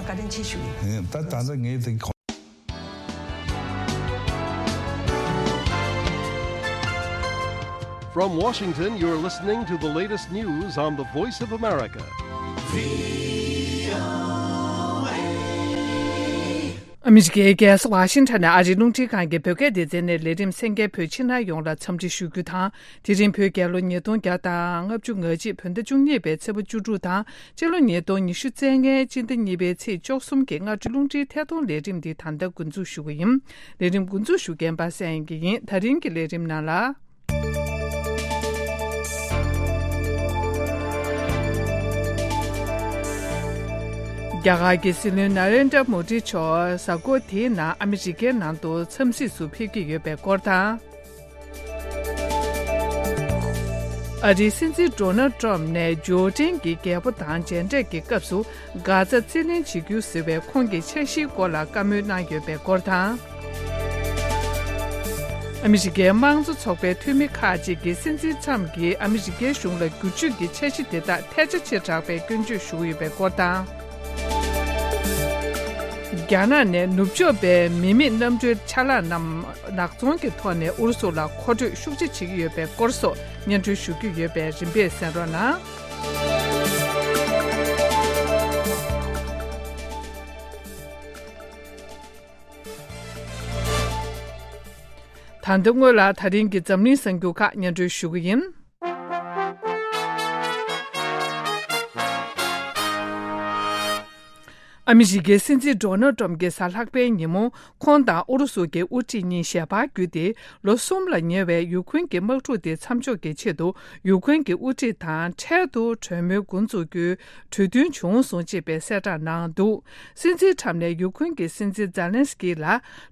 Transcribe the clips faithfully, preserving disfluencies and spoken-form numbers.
བཀའ་དྲིན་ཆེ་ཞུ་ཡིན། ད་ད་ལྟ་ངས་དེ། From Washington, you're listening to the latest news on the Voice of America. ཨ་མི་རི་ཀའི་རྒྱལ་ས་ཝ་ཤིང་ཊོན་ནས་ཨ་རིའི་རླུང་འཕྲིན་ཁང་གི་བོད་སྐད་སྡེ་ཚན་ནས་ལས་རིམ་གསན་མཁན་བོད་ཕྱི་ནང་ཡོངས་ལ་འཚམས་འདྲི་ཞུ་རྒྱུ་དང་། དེ་རིང་བོད་རྒྱལ་ལོ་ཉིས་སྟོང་བརྒྱ་དང་ལྔ་བཅུ་ང་གཅིག་བོད་ཟླ་བཅུ་གཉིས་པའི་ཚེས་པ་བཅུ་དྲུག་དང་། སྤྱི་ལོ་ཉིས་སྟོང་ཉི་ཤུ་རྩ་ལྔའི་སྤྱི་ཟླ་གཉིས་པའི་ཚེས་བཅུ་གསུམ་གྱི་སྔ་དྲོའི་རླུང་འཕྲིན་ཐད་གཏོང་ལས་རིམ་འདི་ད་ལྟ་འགོ་འཛུགས་ཞུ་གི་ཡིན། ལས་རིམ་འགོ་འཛུགས་ཞུ་མཁན་པ་སངས་དབྱངས་སྐྱིད་ཡིན། ད་རིང་གི་ལས་རིམ་ནང་ལ། རྒྱ་གར་གྱི་སྲིད་བློན་ན་རེན་དྲ་མོ་ཌི་མཆོག་གཟའ་འཁོར་དེའི་ནང་ཨ་མི་རི་ཀའི་ནང་དུ་འཚམས་གཟིགས་སུ་ཕེབས་ཀྱི་ཡོད་པའི་སྐོར་དང་། ཨ་རིའི་སྲིད་འཛིན་ཌོ་ནལ་ཏྲམ་ནས་ཇོར་ཌན་གྱི་རྒྱལ་པོ་དང་མཇལ་འཕྲད་ཀྱི་སྐབས་སུ་གྷ་ཛ་རྩིས་ལེན་བྱེད་རྒྱུ་ཟེར་བའི་ཁོང་གི་འཆར་གཞིའི་སྐོར་ལ་བཀའ་མོལ་གནང་ཡོད་པའི་སྐོར་དང་། ཨ་མི་རི་ཀའི་དམངས་གཙོ་ཚོགས་པའི་འཐུས་མི་ཁག་ཅིག་གིས་སྲིད་འཛིན་ཏྲམ་གྱིས་ཨ་མི་རི་ཀའི་གཞུང་ལ་བསྒྱུར་བཅོས་ཀྱི་འཆར་གཞི་དེ་དག་ཐལ་ཆ་ཆེ་དྲགས་པའི་སྐྱོན་བརྗོད་ཞུ་གི་ཡོད་པའི་སྐོར་དང་། རྒྱ་ནག་ནས་ནུབ་ཕྱོགས་པའི་མི་མེད་གནམ་གྲུའི་ཆ་ལག་རྣམས་ནག་ཚོང་གི་ཐོག་ནས་ཨུ་རུ་སུ་ལ་མཁོ་སྤྲོད་ཤུགས་ཆེ་བྱེད་ཀྱི་ཡོད་པའི་སྐོར་སོགས་སྙན་སྒྲོན་ཞུ་རྒྱུ་ཡོད་པས་རིམ་པས་གསན་རོགས་གནང་། ད་ལྟ་སྔོན་ལ་ད་རིང་གི་འཛམ་གླིང་གསར་འགྱུར་ཁག་སྙན་སྒྲོན་ཞུ་གི་ཡིན། ཨ་མི་རི་ཀའི་སྲིད་འཛིན་ཌོ་ནལ་ཏྲམ་གྱིས་གཟའ་ལྷག་པའི་ཉིན་མོ་ཁོང་དང་ཨུ་རུ་སུ་གྱི་དབུ་ཁྲིད་གཉིས་ཞལ་པར་བརྒྱུད་དེ། ལོ་གསུམ་ལ་ཉེ་བའི་ཡུ་ཁུན་གྱི་དམག་འཁྲུག་དེ་མཚམས་འཇོག་གི་ཆེད་དུ་ཡུ་ཁུན་གྱི་དབུ་ཁྲིད་དང་འཕྲལ་དུ་གྲོས་མོལ་འགོ་འཛུགས་རྒྱུའི་གྲོས་མཐུན་བྱུང་སོང་ཅེས་པའི་གསལ་བསྒྲགས་གནང་འདུག། སྲིད་འཛིན་ཁྲམ་ནས་ཡུ་ཁུན་གྱི་སྲིད་འཛིན་ཛཱ་ལན་སི་ཀི་ལ་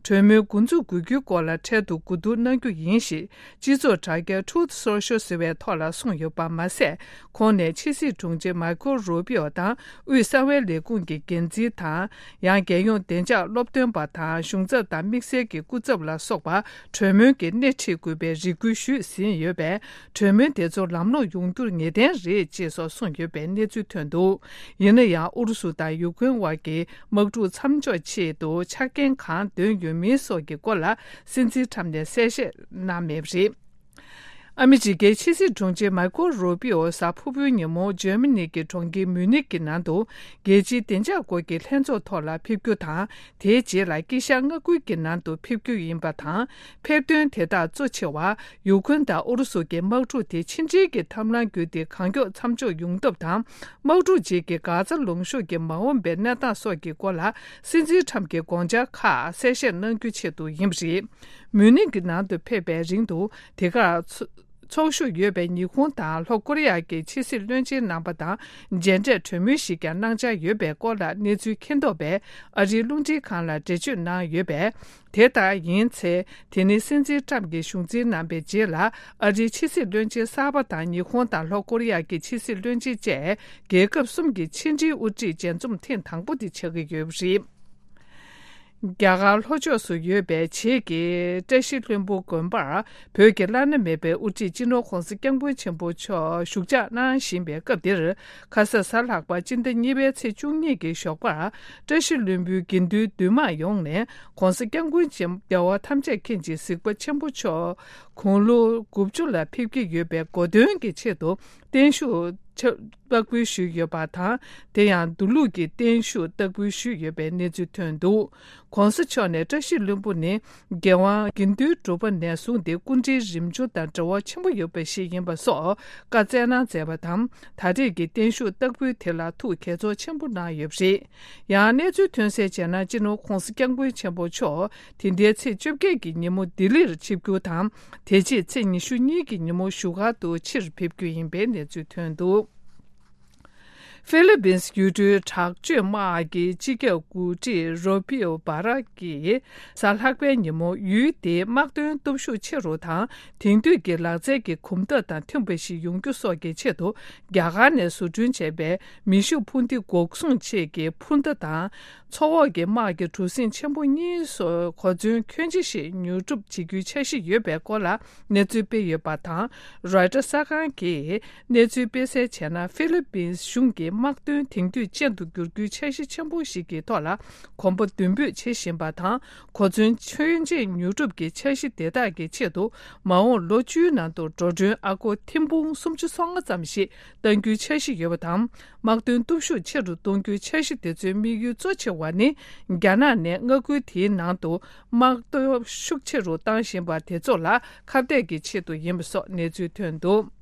གྲོས་མོལ་འགོ་འཛུགས་དགོས་རྒྱུའི་སྐོར་ལ་འཕྲལ་དུ་གོ་བསྡུར་གནང་རྒྱུ་ཡིན་ཞེས་སྤྱི་ཚོགས་དྲ་རྒྱ་Truth Social ཟེར་བའི་ཐོག་ལ་གསུངས་ཡོད་པ་མ་ཟད། ཁོང་ནས་ཕྱི་སྲིད་དྲུང་ཆེ་མཱ་ཁོ་རུ་པིའོ་དང་དབུས་གསང་བའི་ལས་ཁུངས་ཀྱི་འགན་འཛིན་དང་། ཡང་རྒྱལ་ཡོངས་བདེ་འཇགས་སློབ་སྟོན་པ་དང་གཞུང་ཚབ་དང་དམིགས་བསལ་གྱི་སྐུ་ཚབ་ལ་སོགས་པ་གྲོས་མོལ་གྱི་སྣེ་ཁྲིད་དགོས་པའི་རེ་སྐུལ་ཞུས་ཟིན་ཡོད་པས། གྲོས་མོལ་དེ་ཚོ་ལམ་ལྷོང་ཡོང་རྒྱུར་ངེས་གཏན་རེད་ཅེས་སོགས་གསུངས་ཡོད་པའི་གནས་ཚུལ་ཐོན་འདུག། ཡིན་ན་ཡང་ཨུ་རུ་སུ་དང་ཡུ་ཁུན་དབར་གྱི་དམག་འཁྲུག་མཚམས་འཇོག་ཆེད་དུ་ཆ་རྐྱེན་གང་འདོན་ཡོད་མིན་སོགས་ཀྱི་སྐོར་ལ་སྲིད་འཛིན་ཁྲམ་ནས་གསལ་བཤད་གནང་མེད་པ་རེད། ཨ་མི་རི་ཀའི་ཕྱི་སྲིད་དྲུང་ཆེ་མཱ་ཁོ་རུ་པིའོ་གཟའ་ཕུར་བུའི་ཉིན་མོ་འཇར་མ་ནི་གི་གྲོང་ཁྱེར་མུ་ནིག་གི་ནང་དུ་རྒྱལ་སྤྱིའི་བདེ་འཇགས་སྐོར་གྱི་ལྷན་ཚོགས་ཐོག་ལ་ཕེབས་རྒྱུ་དང་། དེའི་རྗེས་ལ་དཀྱིལ་ཤར་མངའ་ཁུལ་གྱི་ནང་དུ་ཕེབས་རྒྱུ་ཡིན་པ་དང་། ཕེབས་དོན་དེ་དག་གཙོ་ཆེ་བ་ཡུ་ཁུན་དང་ཨུ་རུ་སུ་གྱི་དམག་འཁྲུག་དེ་ཕྱི་འབྲེལ་གྱི་ཐབས་ལམ་བརྒྱུད་དེ་གང་མགྱོགས་མཚམས་འཇོག་ཡོང་ཐབས་དང་། དམག་འཁྲུག་རྗེས་ཀྱི་གྷ་ཛ་ལུང་གཤོང་གི་མ་འོངས་པའི་གནས་སྟངས་སོགས་ཀྱི་སྐོར་ལ་སྲིད་འཛིན་ཁྲམ་གྱི་དགོངས་འཆར་ཁག་གསལ་བཤད་གནང་རྒྱུའི་ཆེད་དུ་ཡིན་པ་རེད། མུ་ནིག་གི་ནང་དུ་ཕེབས་པའི་རིང་དུ་དེ་གར་ཚོ་ཚོགས་ཞུགས་ཡོད་པའི་ཉི་ཧོང་དང་ལྷོ་ཀོ་རི་ཡ་གི་ཕྱི་སྲིད་བློན་ཆེན་རྣམ་པ་དང་མཇལ་འཕྲད་གྲོས་མོལ་ཞིག་ཀྱང་གནང་འཆར་ཡོད་པའི་སྐོར་ལ་གནས་ཚུལ་མཁྱེན་རྟོགས་པས་ཨ་རིའི་རླུང་འཕྲིན་ཁང་ལ་འགྲེལ་བརྗོད་གནང་ཡོད་པས། དེ་ལྟར་ཡིན་ཚེ། དེ་ནི་སྲིད་འཛིན་ཁྲམ་གྱི་གཞུང་འཛིན་གནང་པའི་རྗེས་ལ་ཨ་རིའི་ཕྱི་སྲིད་བློན་ཆེན་གསར་པ་དང་ཉི་ཧོང་དང་ལྷོ་ཀོ་རི་ཡ་གི་ཕྱི་སྲིད་བློན་ཆེན་བཅས་རྒྱལ་ཁབ་གསུམ་གྱི་ཕྱི་འབྲེལ་དབུ་ཁྲིད་མཇལ་འཛོམས་ཐེངས་དང་པོ་དེ་ཆགས་ཀྱི་ཡོད་པ་རེད། རྒྱ་གར་ལྷོ་ཕྱོགས་སུ་ཡོད་པའི་བྱེས་ཀྱི་བཀྲ་ཤིས་ལྷུན་པོ་དགོན་པར་བོད་ཀྱི་བླ་ན་མེད་པའི་དབུ་ཁྲིད་སྤྱི་ནོར་༧གོང་ས་༧སྐྱབས་མགོན་ཆེན་པོ་མཆོག་བཞུགས་ཕྱག་གནང་བཞིན་པའི་སྐབས་འདིར། ཁ་ས་གཟའ་ལྷག་པ་སྤྱི་ཟླ་གཉིས་པའི་ཚེས་བཅུ་གཉིས་ཀྱི་ཞོགས་པར་བཀྲ་ཤིས་ལྷུན་པོའི་དགེ་འདུན་འདུས་མང་ཡོངས་ནས་༧གོང་ས་༧སྐྱབས་མགོན་ཆེན་རྒྱལ་བ་ཐམས་ཅད་མཁྱེན་ཅིང་གཟིགས་པ་ཆེན་པོ་མཆོག་དགུང་ལོ་དགུ་བཅུ་ལ་ཕེབས་ཀྱི་ཡོད་པའི་གོ་སྟོན་གྱི་ཆེད་དུ་བརྟན་བཞུགས་ཕྱག་བསྟར་ཞུས་ཡོད་པ་དང་། དེ་ཡང་མདོ་ལུགས་ཀྱི་བརྟན་བཞུགས་བསྟར་ཞུས་ཡོད་པའི་གནས་ཚུལ་ཐོན་འདུག། ༧གོང་ས་མཆོག་ནས་བཀྲ་ཤིས་ལྷུན་པོ་ནི་རྒྱལ་དབང་དགེ་འདུན་གྲུབ་པ་ནས་བཟུང་སྟེ་སྐུ་ཕྲེང་རིམ་བྱོན་དང་འབྲེལ་བ་ཆེན་པོ་ཡོད་པ་ཞིག་ཡིན་པ་སོགས་བཀའ་སྩལ་གནང་མཛད་པ་དང་། ད་རེས་ཀྱི་བརྟན་བཞུགས་བསྟར་འབུལ་དེ་ལ་ཐུགས་དགྱེས་ཚོར་ཆེན་པོ་གནང་ཡོད་པ་རེད། ཡང་གནས་ཚུལ་ཐོན་གསལ་བྱས་ན། སྤྱི་ནོར་༧གོང་ས་༧སྐྱབས་མགོན་ཆེན་པོ་མཆོག་དེ་ཟླའི་ཚེས་བཅོ་བརྒྱད་ཀྱི་ཉིན་མོ་ལྡི་ལིར་ཆིབས་བསྒྱུར་དང་། དེ་རྗེས་ཚེས་ཉི་ཤུ་གཉིས་ཀྱི་ཉིན་མོ་བཞུགས་སྒར་དུ་ཕྱིར་ཕེབས་རྒྱུ་ཡིན་པའི་གནས་ཚུལ་ཐོན་འདུག། ཧྥི་ལི་པིན་ཡུལ་གྲུའི་དྲག་སྤྱོད་དམག་གི་སྤྱི་ཁྱབ་འགོ་ཁྲིད་རོ་པིའོ་བྷ་ར་གིས་གཟའ་ལྷག་པའི་ཉིན་མོ་ཡུལ་དེའི་དམག་དོན་སྟོབས་ཤུགས་ཆེ་རུ་དང་། དེང་དུས་ཀྱི་ལག་རྩལ་གྱི་གོམ་སྟབས་དང་མཐུན་པ་ཞིག་ཡོང་རྒྱུ་སོགས་ཀྱི་ཆེད་དུ་རྒྱ་གར་ནས་བཟོ་སྐྲུན་བྱས་པའི་མེ་ཤུགས་འཕུར་མདེལ་འགོག་སྲུང་ཆེད་ཀྱི་འཕུར་མདའ་དང་། མཚོ་འོག་གི་དམག་གི་གྲུ་གཟིངས་ཆེན་པོ་གཉིས་སོགས་གོ་མཚོན་ཁྱོན་ཆེ་ཞིག་ཉོ་སྒྲུབ་བྱེད་རྒྱུའི་འཆར་གཞི་ཡོད་པའི་སྐོར་ལ་གནས་ཚུལ་སྤེལ་ཡོད་པ་དང་། རོའི་ཊར་གསར་ཁང་གིས་གནས་ཚུལ་སྤེལ་གསལ་བྱས་ན། ཧྥི་ལི་པིན་གཞུང་གིས་ དམག་དོན་དེང་དུས་ཅན་དུ་བསྒྱུར་རྒྱུའི་འཆར་གཞི་ཆེན་པོ་ཞིག་གི་ཐོག་ལ་གོམ་པ་མདུན་སྤོས་བྱེད་བཞིན་པ་དང་། གོ་མཚོན་ཆོད་འབྱེད་ཉོ་སྒྲུབ་ཀྱི་འཆར་གཞི་དེ་དག་གི་ཆེད་དུ་མ་འོངས་ལོ་བཅུའི་ནང་དུ་འགྲོ་གྲོན་ཨ་སྒོར་ཐེར་འབུམ་སུམ་ཅུ་སོ་ལྔ་ཙམ་ཞིག་གཏང་རྒྱུའི་འཆར་གཞི་ཡོད་པ་དང་། དམག་དོན་སྟོབས་ཤུགས་ཆེ་རུ་གཏོང་རྒྱུའི་འཆར་གཞི་དེ་ཚོའི་དམིགས་ཡུལ་གཙོ་ཆེ་བ་ནི། རྒྱ་ནག་ནས་མངའ་ཁུལ་དེའི་ནང་དུ་དམག་སྟོབས་ཤུགས་ཆེ་རུ་བཏང་བཞིན་པ་དེ་ཚོ་ལ་ཁ་གཏད་ཀྱི་ཆེད་དུ་ཡིན་པ་སོགས་གནས་ཚུལ་ཐོན་འདུག།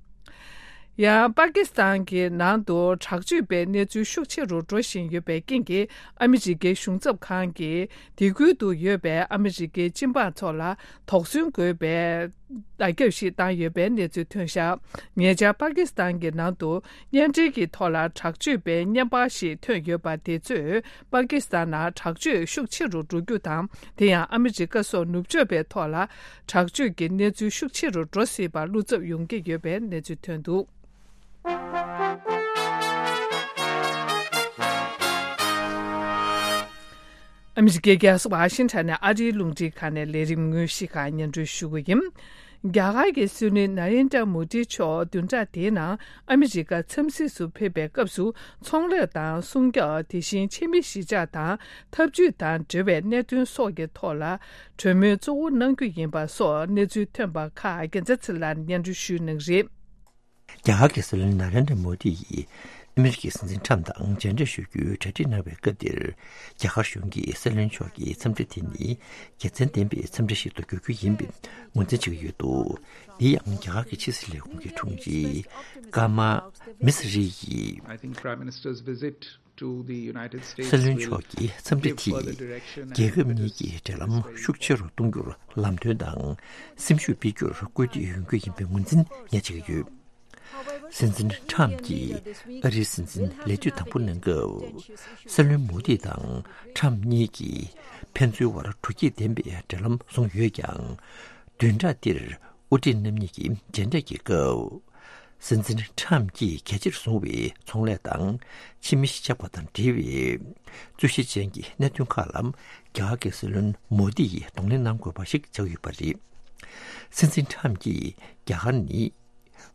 ཡང་པ་ཀི་སི་ཐན་གྱི་ནང་དུ་དྲག་སྤྱོད་པའི་གནས་ཚུལ་ཤུགས་ཆེ་རུ་འགྲོ་བཞིན་ཡོད་པའི་རྐྱེན་གྱིས། ཨ་མི་རི་ཀའི་གཞུང་ཚབ་ཁང་གིས་དེ་ཁུལ་དུ་ཡོད་པའི་ཨ་མི་རི་ཀའི་སྤྱི་འབངས་ཚོ་ལ་དོགས་ཟོན་དགོས་པའི་བརྡ་ཁྱབ་ཞིག་བཏང་ཡོད་པའི་གནས་ཚུལ་ཐོན་བཞག། ཉེ་ཆར་པ་ཀི་སི་ཐན་གྱི་ནང་དུ་གཉེན་འབྲེལ་གྱི་ཐོག་ལ་དྲག་སྤྱོད་པའི་བརྙན་པར་ཞིག་ཐོན་ཡོད་པ་དེ་ཚོས། པ་ཀི་སི་ཐན་ནང་དྲག་སྤྱོད་ཤུགས་ཆེ་རུ་འགྲོ་རྒྱུ་དང་། དེ་ཡང་ཨ་མི་རི་ཀ་སོགས་ནུབ་ཕྱོགས་པའི་ཐོག་ལ་དྲག་སྤྱོད་ཀྱི་གནས་ཚུལ་ཤུགས་ཆེ་རུ་འགྲོ་སྲིད་པར་བློ་འཚབ་ཡོང་གི་ཡོད་པའི་གནས་ཚུལ་ཐོན་འདུག། ཨ་མི་རི་ཀའི་རྒྱལ་ས་ཝ་ཤིང་ཊོན་ནས་ཨ་རིའི་རླུང་འཕྲིན་ཁང་ནས་ལས་རིམ་དངོས་གཞི་ཁག་སྙན་སྒྲོན་ཞུ་གི་ཡིན། རྒྱ་གར་གྱི་སྲིད་བློན་ན་རེན་དྲ་མོ་དི་མཆོག་བདུན་ཕྲག་འདིའི་ནང་ཨ་མི་རི་ཀ་འཚམས་གཟིགས་སུ་ཕེབས་པའི་སྐབས་སུ། ཚོང་ལས་དང་སྲུང་སྐྱོབ། དེ་བཞིན་ཕྱི་མི་གཞིས་ཆགས་དང་འཐབ་ཇུས་དང་འབྲེལ་བའི་གནད་དོན་སོགས་ཀྱི་ཐོག་ལ་གྲོས་མོལ་གཙོ་བོ་གནང་རྒྱུ་ཡིན་པ་སོགས་གནས་ཚུལ་ཐོན་པ་ཁག་རྒྱལ་མཚན་ཚེ་ལགས་སྙན་སྒྲོན་ཞུ་གནང་གི་རེད། རྒྱ་གར་གྱི་སྲིད་བློན་ན་རེན་དྲ་མོ་དི་ཡིས་ཨ་མི་རི་ཀའི་སྲིད་འཛིན་ཁྲམ་དང་མཇལ་འཕྲད་ཞུ་རྒྱུའི་གྲ་སྒྲིག་གནང་བའི་སྐབས་འདིར། རྒྱ་གར་གཞུང་གིས་སྲིད་བློན་མཆོག་གི་འཚམས་འདྲི་དེ་ནི་དགེ་མཚན་ལྡན་པའི་འཚམས་འདྲི་ཞིག་ཏུ་འགྱུར་རྒྱུ་ཡིན་པའི་ངོས་འཛིན་བྱེད་ཀྱི་ཡོད་འདུག། འདི་ཡང་རྒྱ་གར་གྱི་ཕྱི་སྲིད་ལས་ཁུངས་ཀྱི་དྲུང་ཆེ་ཀརྨ་མི་སི་རི་ཡིས། I think Prime Minister's visit to the United States སྲིད་བློན་མཆོག་གི་འཚམས་འདྲི་དེས་རྒྱལ་ཁབ་གཉིས་ཀྱི་འབྲེལ་ལམ་ཤུགས་ཆེ་རུ་གཏོང་རྒྱུར་ལམ་སྟོན་དང་སེམས་ཤུགས་སྤེལ་རྒྱུར་སྐུལ་འདེད་ཡོང་རྒྱུ་ཡིན་པའི་ངོས་འཛིན་ངས་བྱེད་ཀྱི་ཡོད། སྲིད་འཛིན་ཁྲམ་གྱིས་ཨ་རིའི་སྲིད་འཛིན་ལས་དུས་དང་པོ་གནང་སྐབས། སྲིད་བློན་མོ་དི་དང་ཁྲམ་གཉིས་ཀྱིས་ཕན་ཚུན་བར་དྲོ་སྐྱིད་ལྡན་པའི་འབྲེལ་ལམ་བཟུང་ཡོད་ཀྱང་། བདུན་ཕྲག་འདིར་དབུ་ཁྲིད་རྣམ་གཉིས་ཀྱི་མཇལ་འཕྲད་ཀྱི་སྐབས། སྲིད་འཛིན་ཁྲམ་གྱིས་གལ་ཆེར་བཟུང་བའི་ཚོང་ལས་དང་ཕྱི་མི་གཞིས་ཆགས་པ་དང་འབྲེལ་བའི་རྩོད་གཞི་ཅན་གྱི་གནད་དོན་ཁག་ལ་རྒྱ་གར་གྱི་སྲིད་བློན་མོ་དི་ཡིས་གདོང་ལེན་གནང་དགོས་པ་ཞིག་ཆགས་ཡོད་པ་རེད། སྲིད་འཛིན་ཁྲམ་གྱིས་རྒྱ་གར་ནི་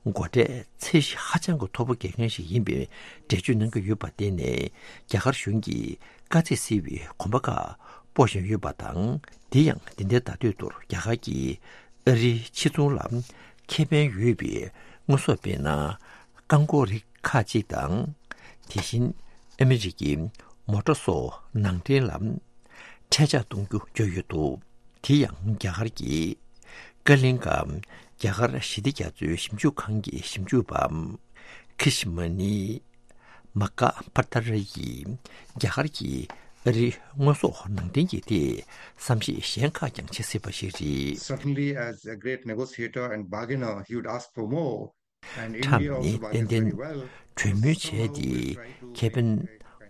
སྒོ་ཁྲལ་ཚད་གཞི་ཧ་ཅང་གི་མཐོ་པོ་འགེལ་མཁན་ཞིག་ཡིན་པའི་འགྲེལ་བརྗོད་གནང་གི་ཡོད་པ་དེ་ནས་རྒྱ་གར་གཞུང་གིས་དཀའ་ཚེགས་སེལ་བའི་གོམ་པ་ཁག་སྤོ་བཞིན་ཡོད་པ་དང་། དེ་ཡང་འདི་ཟླའི་ཟླ་སྟོད་དུ་རྒྱ་གར་གྱིས་ཨ་རིའི་ཕྱི་ཚོང་ལ་ཁེ་ཕན་ཡོད་པའི་དངོས་ཟོག་དཔེར་ན་རྐང་འཁོར་རིགས་ཁག་ཅིག་དང་། དེ་བཞིན་ཨ་མི་རི་ཀའི་མོ་ཊ་སོགས་ནང་འདྲེན་ལ་ཁྲལ་ཆག་གཏོང་རྒྱུ་བརྗོད་ཡོད་འདུག། དེ་ཡང་རྒྱ་གར་གྱི་ཀ་ལིང་ཀ་རྒྱ་གར་ཞི་བདེ་རྒྱ་མཚོའི་ཞིབ་འཇུག་ཁང་གི་ཞིབ་འཇུག་པ་ཁི་ཤི་མ་ནི་མ་ཀ་པ་ཏར་ཡིས་རྒྱ་གར་གྱིས་ཨ་རིའི་དངོས་ཟོག་ནང་འདྲེན་གྱི་ཐད་བསམ་གཞིག་གཞན་ཁག་ཀྱང་བྱེད་སྲིད་པ་ཞིག་རེད། Certainly, as a great negotiator and bargainer, he would ask for more. ཁྲམ་ནི་ཏན་ཏན་གྲོས་མོལ་བྱས་ཏེ་ཁེ་ཕན་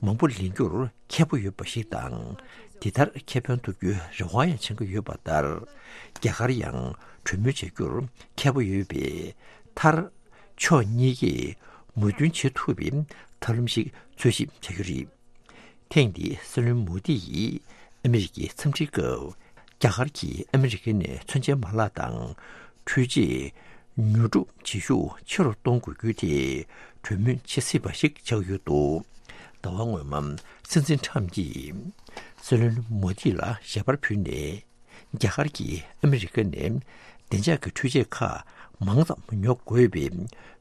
མང་པོ་ལེན་རྒྱུར་མཁས་པོ་ཡོད་པ་ཞིག་དང་། འདི་ལྟར་ཁེ་ཕན་ཐོབ་རྒྱུའི་རེ་བ་ཡང་བྱེད་ཀྱི་ཡོད་པ་ལྟར། རྒྱ་གར་ཡང་གྲོས་མོལ་བྱ་རྒྱུར་མཁས་པོ་ཡོད་པས། མཐར་ཕྱོགས་གཉིས་ཀས་མོས་མཐུན་བྱེད་ཐུབ་པའི་ཐབས་ལམ་ཞིག་འཚོལ་ཞིབ་བྱ་རྒྱུ་རེད། ཐེངས་འདིའི་སྲིད་བློན་མོ་དི་ཡིས་ཨ་མི་རི་ཀའི་འཚམས་འདྲིའི་སྐབས། རྒྱ་གར་གྱིས་ཨ་མི་རི་ཀ་ནས་མཚོན་ཆའི་མ་ལག་དང་འཕྲུལ་ཆས་ཉོ་སྒྲུབ་བྱེད་ཤུགས་ཆེ་རུ་གཏོང་དགོས་རྒྱུའི་ཐད་གྲོས་མོལ་བྱེད་སྲིད་པ་ཞིག་ཆགས་ཡོད་འདུག། ཟླ་བ་སྔོན་མ་སྲིད་འཛིན་ཁྲམ་གྱིས་སྲིད་བློན་མོ་དི་ལ་ཞལ་པར་ཕུལ་ནས། རྒྱ་གར་གྱིས་ཨ་མི་རི་ཀ་ནས་བདེ་འཇགས་ཀྱི་འཕྲུལ་ཆས་ཁག་མང་ཙམ་ཉོ་དགོས་པའི་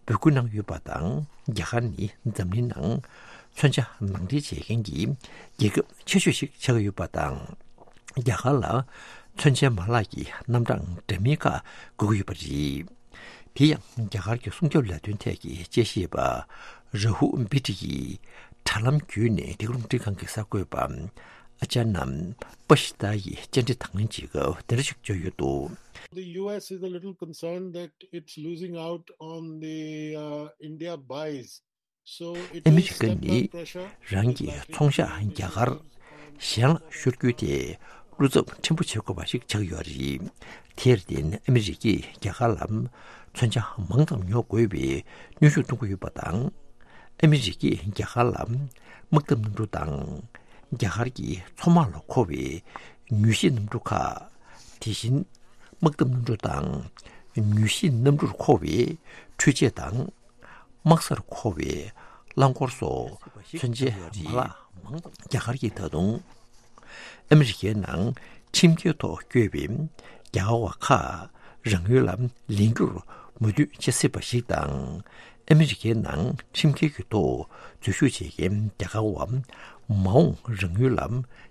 འབོད་སྐུལ་གནང་ཡོད་པ་དང་། རྒྱ་གར་ནི་འཛམ་གླིང་ནང་མཚོན་ཆ་ནང་འདྲེན་བྱེད་མཁན་གྱི་རྒྱལ་ཁབ་ཆེ་ཤོས་ཤིག་ཆགས་ཀྱི་ཡོད་པ་དང་། རྒྱ་གར་ལ་མཚོན་ཆའི་མ་ལག་གི་རྣམ་གྲངས་འདྲ་མིན་ཁག་དགོས་ཀྱི་ཡོད་པ་རེད། དེ་ཡང་རྒྱ་གར་གྱི་སྲུང་སྐྱོབ་ལས་དོན་ཐད་ཀྱི་དཔྱད་ཞིབ་པ་ར་ཧུ་བི་ཏི་ཡིས་དྲ་ལམ་བརྒྱུད་ནས་འདི་ག་རླུང་འཕྲིན་ཁང་གི་གསར་འགོད་པ་ཨ་ཅཱ་ནམ་པ་ཤི་ཏཱ་ཡི་བཅར་འདྲི་དང་ལེན་བྱེད་སྐབས་དེ་འདྲ་ཞིག་བརྗོད་ཡོད་འདུག། The U S is a little concerned that it's losing out on the uh, India buys. So it ཨ་མི་is རི་ཀ་step་ནི་up pressure. རང་གི་ཚོང་ཤག་རྒྱ་གར་གཞན་ལ་ཤོར་རྒྱུའི་ཐད་བློ་འཚབ་ཕྲན་བུ་བྱེད་དགོས་པ་ཞིག་ཆགས་ཡོད་རེད། དེར་བརྟེན་ཨ་མི་རི་ཀས་རྒྱ་གར་ལ་མཚོན་ཆ་མང་ཙམ་ཉོ་དགོས་པའི་གནོན་ཤུགས་གཏོང་གི་ཡོད་པ་དང་། ཨ་མི་རི་ཀས་རྒྱ་གར་ལ་དམག་འཐབ་གནམ་གྲུ་དང་། རྒྱ་གར་གྱི་མཚོ་དམག་ལ་མཁོ་བའི་མྱུལ་ཞིབ་གནམ་གྲུ་ཁག་དེ་བཞིན་དམག་འཐབ་གནམ་གྲུ་དང་། མྱུལ་ཞིབ་གནམ་གྲུར་མཁོ་བའི་འཕྲུལ་ཆས་དང་། དམག་སར་མཁོ་བའི་ རླངས་འཁོར་སོགས་མཚོན་ཆའི་མ་ལག་མང་ཙམ་རྒྱ་གར་གྱིས་ད་དུང་ཨ་མི་རི་ཀའི་ནང་ཁྲིམས་འགལ་ཐོག་བསྐྱོད་པའི་རྒྱ་གར་བ་ཁག་རང་ཡུལ་ལ་ལེན་རྒྱུར་མོས་མཐུན་བྱེད་སྲིད་པ་ཞིག་དང་། ཨ་མི་རི་ཀའི་ནང་ཁྲིམས་འགལ་གྱི་ཐོག་འཛུལ་ཞུགས་བྱེད་མཁན་རྒྱ་གར་བ་མ་འོངས་རང་ཡུལ་ལ་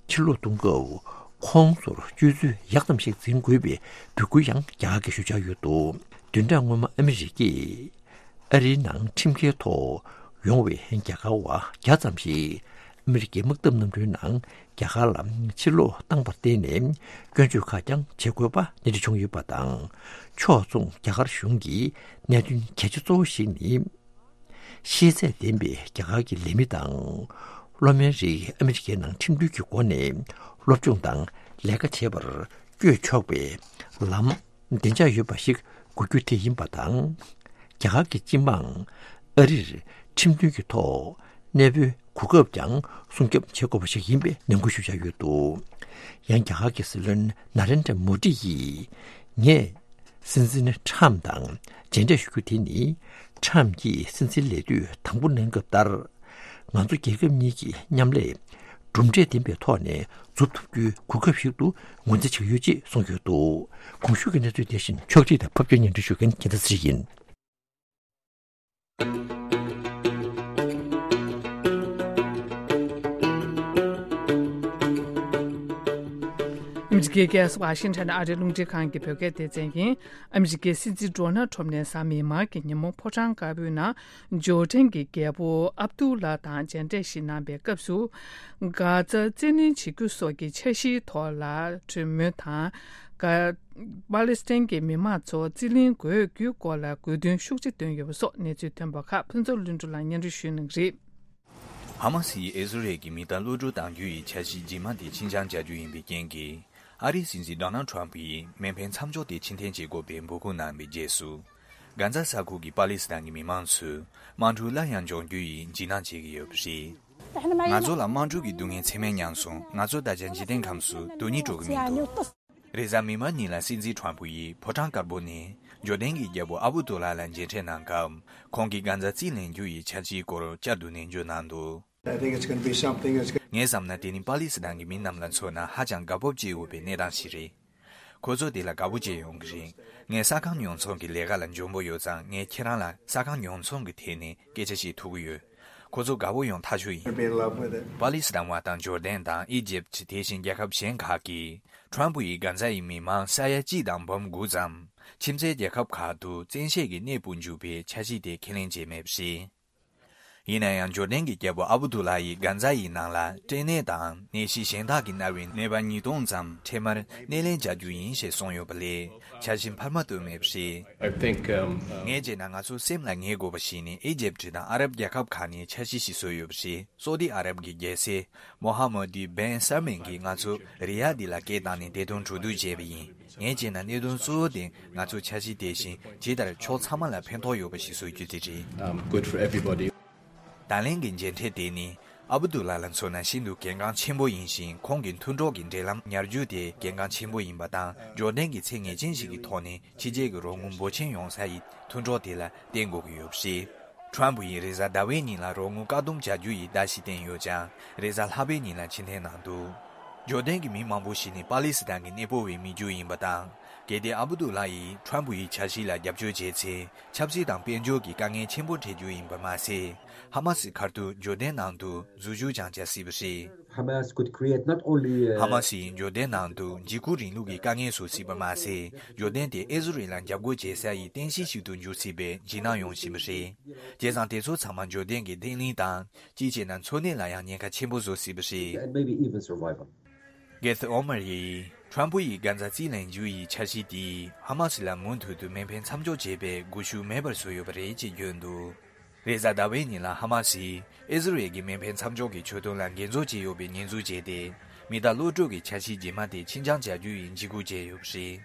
ཕྱིར་ལོག་གཏོང་སྐབས་ཁོང་ཚོར་སྤྱོད་ཚུལ་ཡག་ཙམ་ཞིག་འཛིན་དགོས་པའི་འབོད་སྐུལ་ཡང་རྒྱ་གར་གྱིས་ཞུ་འཆར་ཡོད་འདུག་བདུན་ཕྲག་སྔོན་མ་ཨ་མི་རི་ཀས་ཨ་རིའི་ནང་ཁྲིམས་འགལ་ཐོག་ཡོང་བའི་རྒྱ་གར་བ་བརྒྱ་ཙམ་ཞིག་ཨ་མི་རི་ཀའི་དམག་འཐབ་གནམ་གྲུའི་ནང་རྒྱ་གར་ལ་ཕྱིར་ལོག་བཏང་བར་བརྟེན་ནས་སྐྱོན་བརྗོད་ཁ་བྱང་བྱེད་དགོས་པ་གནད་འགྲིག་བྱུང་ཡོད་པ་དང་། ཕྱོགས་མཚུངས་རྒྱ་གར་གཞུང་གི་གནད་དོན་གལ་ཆེ་གཙོ་བོ་ཞིག་ནི། ཤེས་ཚད་ལྡན་པའི་རྒྱ་གར་གྱི་ལས་མི་དང་། སློབ་མའི་རིགས་ཨ་མི་རི་ཀའི་ནང་ཁྲིམས་མཐུན་གྱི་སྒོ་ནས་སློབ་སྦྱོང་དང་ལས་ཀ་བྱེད་པར་བསྐྱོད་ཆོག་པའི་ལམ་བདེ་འཇགས་ཡོད་པ་ཞིག་དགོས་རྒྱུ་དེ་ཡིན་པ་དང་། རྒྱ་གར་གྱི་སྤྱི་དམངས་ཨ་རིར་ཁྲིམས་མཐུན་གྱི་ཐོག་གནས་སྤོའི་གོ་སྐབས་ཀྱང་སྲུང་སྐྱོབ་བྱེད་དགོས་པ་ཞིག་ཡིན་པའི་ནན་སྐུལ་ཞུ་འཆར་ཡོད་འདུག་ཡང་རྒྱ་གར་གྱི་སྲིད་བློན་ན་རེན་དྲ་མོ་ཌི་ཡིས། ངས་སྲིད་འཛིན་ཁྲམ་དང་མཇལ་འཕྲད་ཞུ་རྒྱུ་དེ་ནི། ཁྲམ་གྱིས་སྲིད་འཛིན་ལས་དུས་དང་པོ་གནང་སྐབས་ལྟར། ང་ཚོ་རྒྱལ་ཁབ་གཉིས་ཀྱི་མཉམ་ལས་གྲུབ་འབྲས་ལྡན་པའི་ཐོག་ནས་འཛུགས་ཐུབ་རྒྱུའི་གོ་སྐབས་ཤིག་ཏུ་ངོས་འཛིན་བྱེད་ཀྱི་ཡོད་ཅེས་གསུངས་ཡོད་འདུག་གོང་ཞུས་ཀྱི་གནས་ཚུལ་དེ་བཞིན་ཕྱོགས་སྒྲིག་དང་ཕབ་སྒྱུར་སྙན་སྒྲོན་ཞུ་མཁན་རྒྱལ་མཚན་ཚེ་རིང་ཡིན། ཨ་མི་རི་ཀའི་རྒྱལ་ས་ཝ་ཤིང་ཊོན་ཨ་རིའི་རླུང་འཕྲིན་ཁང་གི་བོད་སྐད་སྡེ་ཚན་ཡིན། ཨ་མི་རི་ཀའི་སྲིད་འཛིན་ཌོ་ནལ་ཊམ་ནས་གཟའ་མིག་དམར་གྱི་ཉིན་མོ་ཕོ་བྲང་དཀར་པོའི་ནང་ཇོར་ཌན་གྱི་རྒྱལ་པོ་ཨབ་དུ་ལ་དང་མཇལ་འཕྲད་ཞིག་གནང་པའི་སྐབས་སུ། གྷ་ཛ་རྩིས་ལེན་བྱེད་རྒྱུ་སོགས་ཀྱི་འཆར་གཞིའི་ཐོག་ལ་གྲོས་མོལ་དང་། གྷ་པ་ལི་སི་ཐན་གྱི་མི་མང་ཚོ་རྩིས་ལེན་དགོས་རྒྱུའི་སྐོར་ལ་དགོས་འདུན་ཤུགས་ཆེ་བཏོན་ཡོད་པ་སོགས་གནས་ཚུལ་ཐོན་པ་ཁག་ཕུན་ཚོགས་ལྷུན་གྲུབ་ལགས་སྙན་སྒྲོན་ཞུ་གནང་གི་རེད། ཧ་མ་སི་ཡིས་ཨི་ཟི་རལ་གྱི་མི་གཏའ་གློད་གྲོལ་གཏང་རྒྱུ་ཡི་འཆར་གཞི་རྗེས་མ་དེ་ཕྱིར་འགྱངས་བྱ་རྒྱུ་ཡིན་པའི་རྐྱེན་གྱིས། ཨ་རིའི་སྲིད་འཛིན་ཌོ་ནལ་ཊམ་ཕུ་ཡིས་མེ་འཕེན་མཚམས་འཇོག་དེ་ཕྱིར་འཐེན་བྱེད་དགོས་པའི་འབོད་སྐུལ་གནང་བའི་རྗེས་སུ། གྷ་ཛ་ས་ཁུལ་གྱི་པ་ལི་སི་ཐན་གྱི་མི་མང་ཚོས་དམག་འཁྲུག་སླར་ཡང་འབྱུང་རྒྱུ་ཡི་འཇིགས་སྣང་བྱེད་ཀྱི་ཡོད་པ་རེད། ང་ཚོ་ལ་དམག་འཁྲུག་གི་སྡུག་བསྔལ་ཚད་མེད་མྱངས་སོང་། ང་ཚོ་ད་ཆ་འཇིག་རྟེན་ཁམས་སུ་སྡུག་བསྔལ་འགྲོ་གི་མི་འདུག་རེས་གཟའ་མིག་དམར་ཉིན་ལ་སྲིད་འཛིན་ཊམ་ཕུ་ཡིས་ཕོ་བྲང་དཀར་པོ་ནས་ཇོར་ཌན་གྱི་རྒྱལ་པོ་ཨ་བུ་དུ་ལ་ལ་མཇལ་འཕྲད་གནང་སྐབས། ཁོང་གིས་གྷ་ཛ་རྩིས་ལེན་རྒྱུ་ཡི་འཆར་གཞིའི་སྐོར་བསྐྱར་དུ་ནན་བརྗོད་གནང་འདུག I think it's gonna be something that's gonna ངས་བསམ་ན་དེ་ནི་པ་ལི་སི་ཐན་གྱི་མི་རྣམས་ལ་མཚོན་ན་ཧ་ཅང་དགའ་སྤོབས་སྐྱེ་འོས་པའི་གནས་སྟངས་ཤིག་རེད། ཁོ་ཚོ་དེ་ལ་དགའ་པོ་བྱེད་ཡོང་གི་རེད། ངས་ས་ཁང་ཉོ་ཚོང་གི་ལས་ཀ་ལ་འཇོན་པོ་ཡོད་ཙང་ངས་ཁྱེད་རང་ལ་ས་ཁང་ཉོ་ཚོང་གི་ཐད་ནས་སྐད་ཆ་བཤད་ཐུབ་ཀྱི་ཡོད། ཁོ་ཚོ་དགའ་པོ་ཡོང་ཐག་ཆོད་ཡིན། Be in love with it. པ་ལི་སི་ཐན་བ་དང་ཇོར་ཌན་དང་ཨི་ཇིབ་དེ་བཞིན་རྒྱལ་ཁབ་གཞན་ཁག་གིས་ཊམ་ཕུ་ཡིས་གྷ་ཛ་ཡི་མི་མང་ས་ཡ་གཅིག་དང་འབུམ་དགུ་ཙམ་ཁྱིམ་མཚེས་རྒྱལ་ཁབ་ཁག་ཏུ་བཙན་ཤེད་ཀྱིས་གནས་སྤོ་འཇུག་པའི་འཆར་གཞི་དེ་ཁས་ལེན་བྱས་མེད་པ་རེད། ཡིན་ན་ཡང་ཇོར་ཌན་གྱི་རྒྱལ་པོ་ཨ་བུ་དུ་ལ་ཡིས་གྷ་ཛ་ཡི་ནང་ལ་སྐྲན་ནད་དང་ནད་གཞི་གཞན་དག་གིས་མནར་བའི་ནད་པ་ཉིས་སྟོང་ཙམ་འཕྲལ་མར་སྣེ་ལེན་བྱ་རྒྱུ་ཡིན་ཞེས་གསུངས་ཡོད་པ་ལས་འཆར་གཞི་འཕར་མ་བཏོན་མེད་པ་རེད། I think, um, uh, ངས་བྱས་ན་ང་ཚོ་སེམས་ལ་ངེས་དགོས་པ་ཞིག་ནི་ཨི་ཇིབ་དང་ཨ་རབ་རྒྱལ་ཁབ་ཁག་ནས་འཆར་གཞི་ཞིག་བཟོས་ཡོད་པ་རེད། སོ་ཏི་ཨ་རབ་ཀྱི་རྒྱལ་སྲས་མོ་ཧ་མོ་དི་བན་སལ་མན་གྱིས་ང་ཚོ་རི་ཡ་དི་ལ་སྐད་བཏང་ནས་བདེ་དོན་གྲོས་བསྡུར་བྱས་པ་ཡིན། ངས་བྱས་ན་གནད་དོན་གཙོ་བོ་དེ་ང་ཚོའི་འཆར་གཞི་དེ་བཞིན་ཇི་ལྟར་ཕྱོགས་ཚང་མ་ལ་ཕན་ཐོགས་ཡོད་པ་ཞིག་བཟོ་རྒྱུ་དེ་རེད། Um, good for everybody. ད་ལན་གྱི་མཇལ་འཕྲད་དེ་ནི་ཨ་བུ་དུ་ལ་ལ་མཚོན་ན་ཤིན་ཏུ་གལ་འགངས་ཆེན་པོ་ཡིན་ཞིང་། ཁོང་གི་མཐུན་གྲོགས་ཀྱི་འབྲེལ་ལམ་ཉར་རྒྱུ་དེ་གལ་འགངས་ཆེན་པོ་ཡིན་པ་དང་། ཇོར་ཌན་གྱི་ཚད་ངེས་ཅན་ཞིག་གི་ཐོག་ནས་ཕྱི་རྒྱལ་གྱི་རོགས་དངུལ་འབོར་ཆེན་ཡོང་ས་ཡི་མཐུན་གྲོགས་དེ་ལ་བརྟེན་དགོས་ཀྱི་ཡོད་པ་རེད། ཊམ་ཕུ་ཡིས་རེས་གཟའ་ཟླ་བའི་ཉིན་ལ་རོགས་དངུལ་བཀག་སྡོམ་བྱ་རྒྱུ་ཡི་བརྡ་ཞིག་བསྟན་ཡོད་ཀྱང་། རེས་གཟའ་ལྷག་པའི་ཉིན་ལ་ཕྱིར་འཐེན་གནང་འདུག་ཇོར་ཌན་གྱི་མི་མང་པོ་ཞིག་ནི་པ་ལི་སི་ཐན་གྱི་གནས་སྤོ་བའི་མི་རྒྱུད་ཡིན་པ་དང་། གལ་ཏེ་ཨ་བུ་དུ་ལ་ཡིས་ཊམ་ཕུ་ཡི་འཆར་གཞི་ལ་རྒྱབ་སྐྱོར་བྱས་ཚེ། ཆབ་སྲིད་དང་དཔལ་འབྱོར་གྱི་དཀའ་ངལ་ཆེན་པོ་འཕྲད་རྒྱུ་ཡིན་པ་མ་ཟད། ཧ་མ་སི་ཁ་ཐུག་ཇོར་ཌན་ནང་དུ་འཛུལ་ཞུགས་ཀྱང་བྱ་སྲིད་པ་རེད། Hamas could create not only, uh, ཧ་མ་སི་ཡིས་ཇོར་ཌན་ནང་དུ་འཇིགས་སྐུལ་རིང་ལུགས་ཀྱི་དཀའ་ངལ་བཟོ་སྲིད་པ་མ་ཟད། ཇོར་ཌན་དེ་ཨི་ཟི་རེལ་ལ་རྒྱབ་སྐྱོར་བྱེད་ས་ཡི་རྟེན་གཞི་ཞིག་ཏུ་འགྱུར་སྲིད་པའི་འཇིགས་སྣང་ཡོང་བཞིན་པ་རེད། བྱས་ཙང་དེ་ཚོ་ཚང་མ་ཇོར་ཌན་གྱི་བརྟན་ལྷིང་དང་། སྤྱི་བྱས་ན་འཚོ་གནས་ལ་ཡང་ཉེན་ཁ་ཆེན་པོ་བཟོ་སྲིད་པ་རེད། And maybe even survival. གེ་ཐི་ཨོ་མར་ཡིས་ཁྲམ་ཕུ་ཡིས་གྷ་ཛ་རྩིས་ལེན་རྒྱུ་ཡི་འཆར་གཞི་དེས་ཧ་མ་སི་ལ་མུ་མཐུད་དུ་མེ་འཕེན་མཚམས་འཇོག་བྱེད་པའི་སྒུལ་ཤུགས་མེད་པར་བཟོས་ཡོད་པ་རེད་ཅེས་བརྗོད་འདུག་རེས་གཟའ་ཟླ་བའི་ཉིན་ལ་ཧ་མ་སིས་ཨི་ཟི་རེལ་གྱི་མེ་འཕེན་མཚམས་འཇོག་གི་ཆོད་དོན་ལ་འགན་གཙོ་བྱས་ཡོད་པའི་ཉེས་འཛུགས་བྱས་ཏེ། མི་གཏའ་གློད་གྲོལ་གྱི་འཆར་གཞི་རྗེས་མ་དེ་ཕྱིར་འགྱངས་བྱ་རྒྱུ་ཡི་འཇིགས་སྐུལ་བྱས་ཡོད་པ་རེད།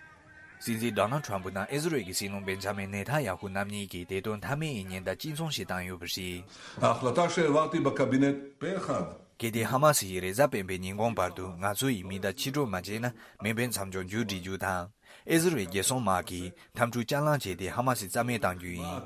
སྲིད་འཛིན་ཌོ་ནལ་ཁྲམ་ཕུ་དང་ཨི་ཟི་རེལ་གྱི་སྲིད་བློན་བེན་ཇ་མིན་ནེ་ཐན་ཡ་ཧུ་རྣམ་གཉིས་ཀྱིས་བདེ་དོན་མཐའ་མའི་ཉེན་བརྡ་གཅིག་མཚུངས་ཤིག་བཏང་ཡོད་པ་རེད། ההחלטה שהעברתי בקבינט פה אחד. གལ་ཏེ་ཧ་མ་སི་ཡིས་རེས་གཟའ་སྤེན་པའི་ཉིན་གུང་བར་དུ་ང་ཚོ་ཡི་མི་གཏའ་ཕྱིར་སྤྲོད་མ་བྱས་ན། མེ་འཕེན་མཚམས་འཇོག་མཇུག་སྒྲིལ་རྒྱུ་དང་། ཨི་ཟི་རེལ་རྒྱལ་སྲུང་དམག་གིས་འཐབ་འཁྲུག་བསྐྱར་ལངས་བྱས་ཏེ་ཧ་མ་སི་རྩ་མེད་གཏང་རྒྱུ་ཡིན།